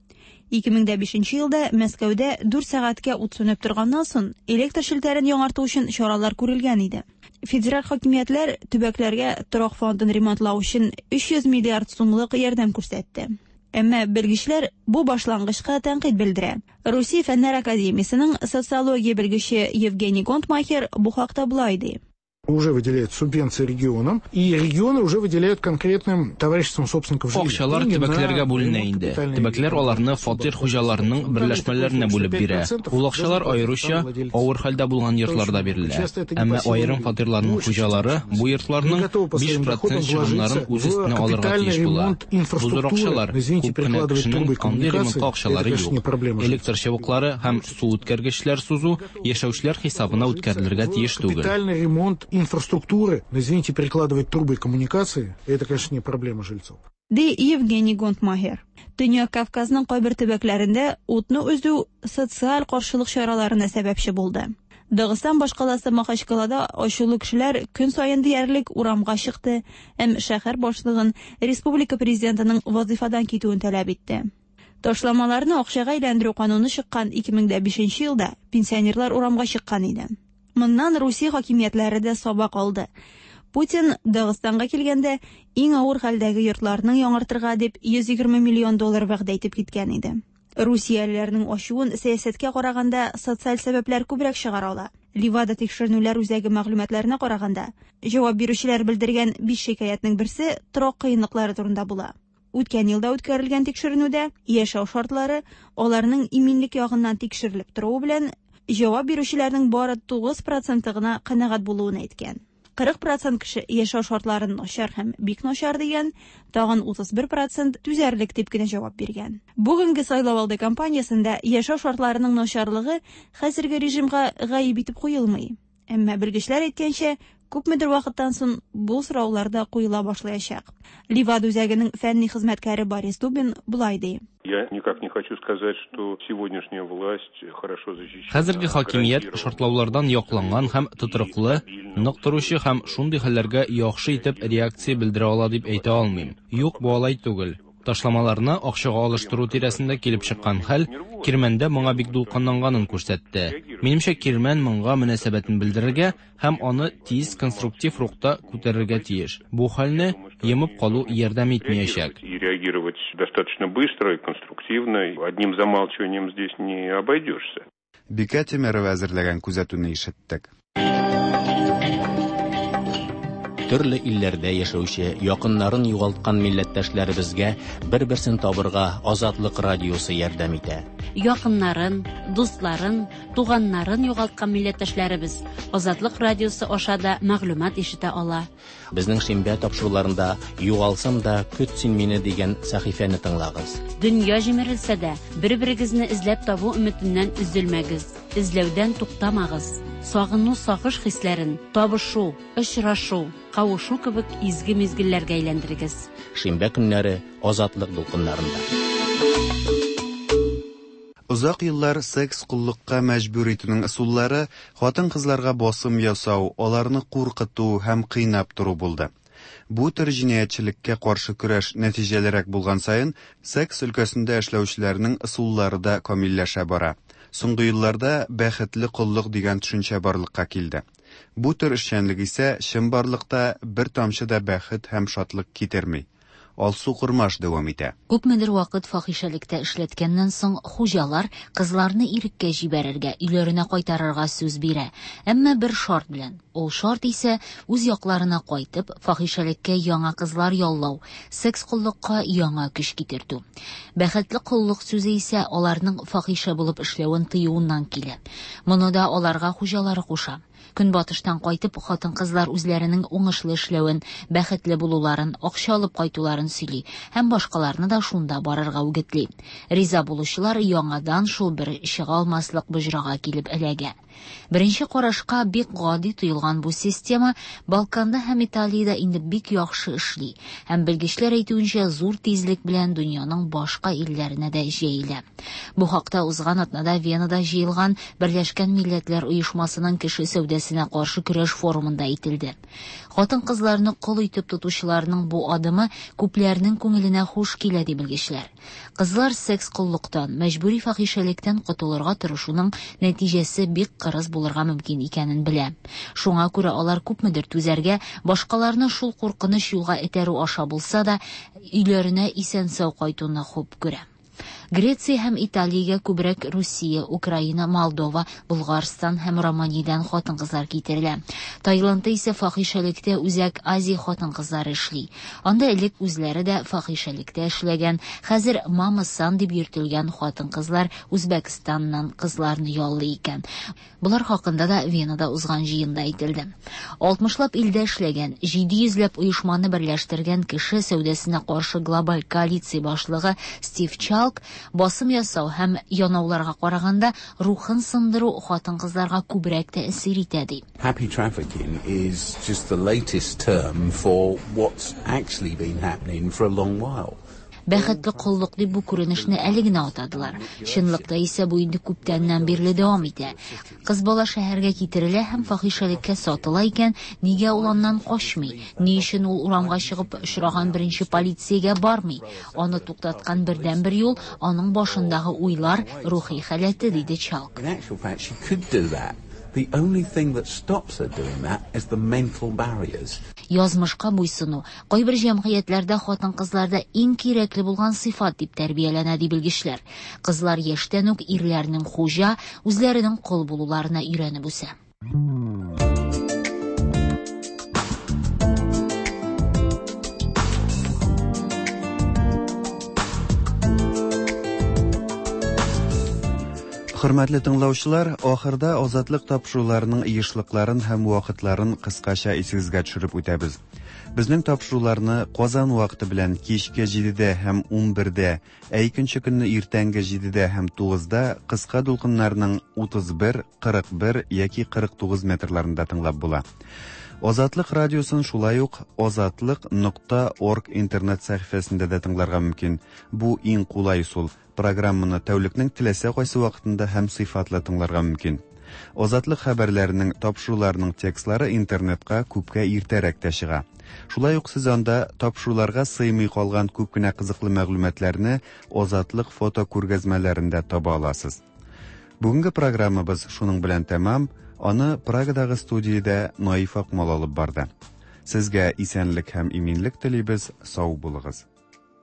ике мең бишенче елда Мәскәүдә дүрт сәгатькә ут сүнеп торганнан соң электр челтәрен яңарту өчен чаралар күрелгән иде. Федераль хакимиятләр төбәкләргә торак фондын ремонтлау өчен өч йөз миллиард сумлык ярдәм күрсәтте. Әмма белгечләр бу башлангычка тәнкыйть белдерә. Русия Фәннәр академиясенең социология белгече Евгений Гонтмахер бу хакта болай ди. Уже выделяют субвенции регионам, и регионы уже выделяют конкретным товариществам собственников жилья. Акчалар төбәкләргә бүленә инде. Төбәкләр аларны фатир хуҗаларының берләшмәләренә бүлеп бирә. Ул акчалар аеруча авыр хәлдә булган йортларда бирелә. Әмма аерым фатирларның хуҗалары бу йортларның биш процент чыгымнарын үз өстенә алырга тиеш була. Бу зур акчалар күп кенә кешенең андый ремонтка акчалары юк. Электр чыбыклары һәм су үткәргечләр сузу яшәүчеләр хисабына үткәрелергә тиеш түгел. Капитальный ремонт инфраструктуры, но, извините, перекладывать трубы и коммуникации, это, конечно, не проблема жильцов. Ди Евгений Гонтмахер. Төньяк Кавказның кайбер төбәкләрендә утны өзү социаль каршылык чараларына сәбәпче булды. Дагыстан башкаласы Махачкалада ачулы кешеләр көн саен диярлек урамга чыкты һәм шәһәр башлыгын республика президентының вазифадан китүен таләп итте. Ташламаларны акчага әйләндерү кануны чыккан ике мең дә бишенче елда пенсионерлар урамга чыккан иде. Моннан Русия хакимиятләре дә сабак алды. Путин Дагыстанга килгәндә иң авыр хәлдәге йортларның яңартырга дип йөз егерме миллион доллар вәгъдә итеп киткән иде. Русиялеләрнең ачуын сәясәткә караганда социаль сәбәпләр күбрәк чыгара ала. Ливада тикшеренүләр үзәге мәгълүматларына караганда, җавап бирүчеләр белдергән биш шикаятьнең берсе торак кыенлыклары турында була. Үткән елда үткәрелгән тикшеренүдә яшәү шартлары аларның иминлек ягыннан тикшерелеп торуы белән җавап бирүчеләрнең бары тугыз проценты гына канәгать булуын әйткән. Кырык процент кеше яшәү шартларын начар һәм бик начар дигән, тагын утыз бер процент түзәрлек дип кенә җавап биргән. Бүгенге сайлау алды кампаниясендә яшәү шартларының начарлыгы хәзерге режимга гаеп итеп куелмый. Әмма белгечләр әйткәнчә, күпмедер вакыттан соң бу сораулар да куела башлаячак. Ливада үзәгенең фәнни хезмәткәре Борис Дубин болай ди. Я никак не хочу сказать, что сегодняшняя власть хорошо защищена. Хәзерге хакимият шартлаулардан якланган һәм тотрыклы, нык торучы һәм шундый хәлләргә яхшы итеп реакция белдерә ала дип әйтә алмыйм. Юк, бу алай түгел. Ташламаларны акчага алыштыру тирәсендә килеп чыккан хәл Кирмәндә моңа бик дулкынланганын күрсәтте. Минемчә, Кирмән моңа мөнәсәбәтен белдерергә һәм аны тиз конструктив рухта күтәрергә тиеш. Бу хәлне йомып калу ярдәм итмәячәк. И реагировать достаточно быстро и конструктивно. Одним замалчиванием здесь не обойдешься. Бикә Тимерова әзерләгән күзәтүне ишеттек. Төрле илләрдә яшәүче, якыннарын югалткан милләттәшләребезгә бер-берсен табырга Азатлык радиосы ярдәм итә. Якыннарын, дусларын, туганнарын югалткан милләттәшләребез Азатлык радиосы аша да мәгълүмат ишетә ала. Безнең шимбә тапшыруларында «Югалсам да, көт син мине» дигән сәхифәне тыңлагыз. Дөнья җимерелсә дә, бер-берегезне эзләп табу өметеннән өзелмәгез, эзләүдән туктамагыз. Сагыну, сагыш хисләрен табышу, очрашу, кавышу кебек изге мизгелләргә әйләндерегез. Шимбә көннәре Азатлык дулкыннарында. Озак еллар секс коллыкка мәҗбүр итүнең ысуллары хатын-кызларга басым ясау, аларны куркыту һәм кыйнап тору булды. Бу төр җинаятьчелеккә каршы көрәш нәтиҗәлерәк булган саен, секс өлкәсендә эшләүчеләрнең ысуллары да камилләшә бара. Соңгы елларда бәхетле коллык дигән төшенчә барлыкка килде. Бу төр эшчәнлек исә чынбарлыкта бер тамчы да бәхет һәм шатлык китерми. Алсу Курмаш дәвам итә. Күпмедер вакыт фахишәлектә эшләткәннән соң хуҗалар кызларны иреккә җибәрергә, өйләренә кайтарырга сүз бирә. Әмма бер шарт белән. Ул шарт исә үз якларына кайтып, фахишәлеккә яңа кызлар яллау, секс коллыкка яңа көч китертү. Бәхетле коллык сүзе исә аларның фахишә булып эшләвен тыюыннан килә. Моны да аларга хуҗалары куша. Көнбатыштан кайтып, хатын-кызлар үзләренең уңышлы эшләвен, бәхетле булуларын, акча алып кайтуларын сөйли һәм башкаларны да шунда барырга үгетли. Риза булучылар яңадан шул бер чыга алмаслык боҗрага килеп эләгә. Беренче карашка бик гади тоелган бу система Балканда һәм Италиядә инде бик яхшы эшли һәм белгечләр әйтүенчә зур тизлек белән дөньяның башка илләренә дә җәелә. Бу хакта узган атнада Венада җыелган Берләшкән Милләтләр Оешмасының кеше сәүдәсенә каршы көрәш форумында әйтелде. Хатын-кызларны кол итеп тотучыларның бу адымы күпләрнең күңеленә хуш килә ди белгечләр. Кызлар секс коллыктан, мәҗбүри фахишәлектән котылырга тырышуның нәтиҗәсе бик кырыс булырга мөмкин икәнен белә. Шуңа күрә алар күпмедер түзәргә, башкаларны шул куркыныч юлга этәрү аша булса да, өйләренә исән-сау кайтуны хуп күрә. Греция һәм Италиягә күбрәк Русия, Украина, Молдова, Булгарстан һәм Романиядән хатын-кызлар китерелә. Таиландта исә фахишәлектә Үзәк Азия хатын-кызлары эшли. Анда элек үзләре дә фахишәлектә эшләгән, хәзер мама-сан дип йөртелгән хатын-кызлар Үзбәкстаннан кызларны яллый икән. Болар хакында да Венада узган җыенда әйтелде. Алтмышлап илдә эшләгән, җиде йөзләп оешманы берләштергән кеше сәүдәсенә каршы глобаль коалиция башлыгы Стив Чалк басым ясау һәм янауларга караганда рухын сындыру хатын-кызларга күбрәк тәэсир итә ди. Happy trafficking is just the latest term for what's actually been happening for a long while. Бәхетле коллык дип бу күренешне әле генә атадылар. Чынлыкта исә бу инде күптәннән бирле дәвам итә. Кыз бала шәһәргә китерелә һәм фахишәлеккә сатыла икән, нигә ул аннан качмый? Ни өчен ул урамга чыгып очраган беренче полициягә бармый? Аны туктаткан бердәнбер юл аның башындагы уйлар, рухи халәте, диде Чалк. In actual fact, she could do that. The only thing that stops her doing that is the mental barriers. Язмышка буйсыну кайбер җәмгыятьләрдә хатын-кызларда иң кирәкле булган сыйфат дип тәрбияләнә, ди белгечләр. Кызлар яшьтән үк ирләрнең хуҗа, үзләренең кол булуларына өйрәнеп үсә. Хөрмәтле тыңлаучылар, ахырда Азатлык тапшыруларының ешлыкларын һәм вакытларын кыскача исегезгә төшереп үтәбез. Безнең тапшыруларны Казан вакыты белән кичке җидедә һәм унбердә, ә икенче көнне иртәнге җидедә һәм тугызда кыска дулкыннарның утыз бер, кырык бер яки кырык тугыз метрларында тыңлап була. Азатлык радиосын шулай ук азатлык нокта орг интернет сәхифәсендә дә тыңларга мөмкин. Бу иң кулай ысул. Программаны тәүлекнең теләсә кайсы вакытында һәм сыйфатлы тыңларга мөмкин. Азатлык хәбәрләренең, тапшыруларының текстлары интернетка күпкә иртәрәк тә чыга. Шулай ук сез анда тапшыруларга сыймый калган күп кенә кызыклы мәгълүматларны Азатлык фото күргәзмәләрендә таба аласыз. Бүгенге программабыз шуның белән тәмам. Аны Прагадагы студиядә Наиф Акмал алып барды. Сезгә исәнлек һәм иминлек телибез, сау булыгыз.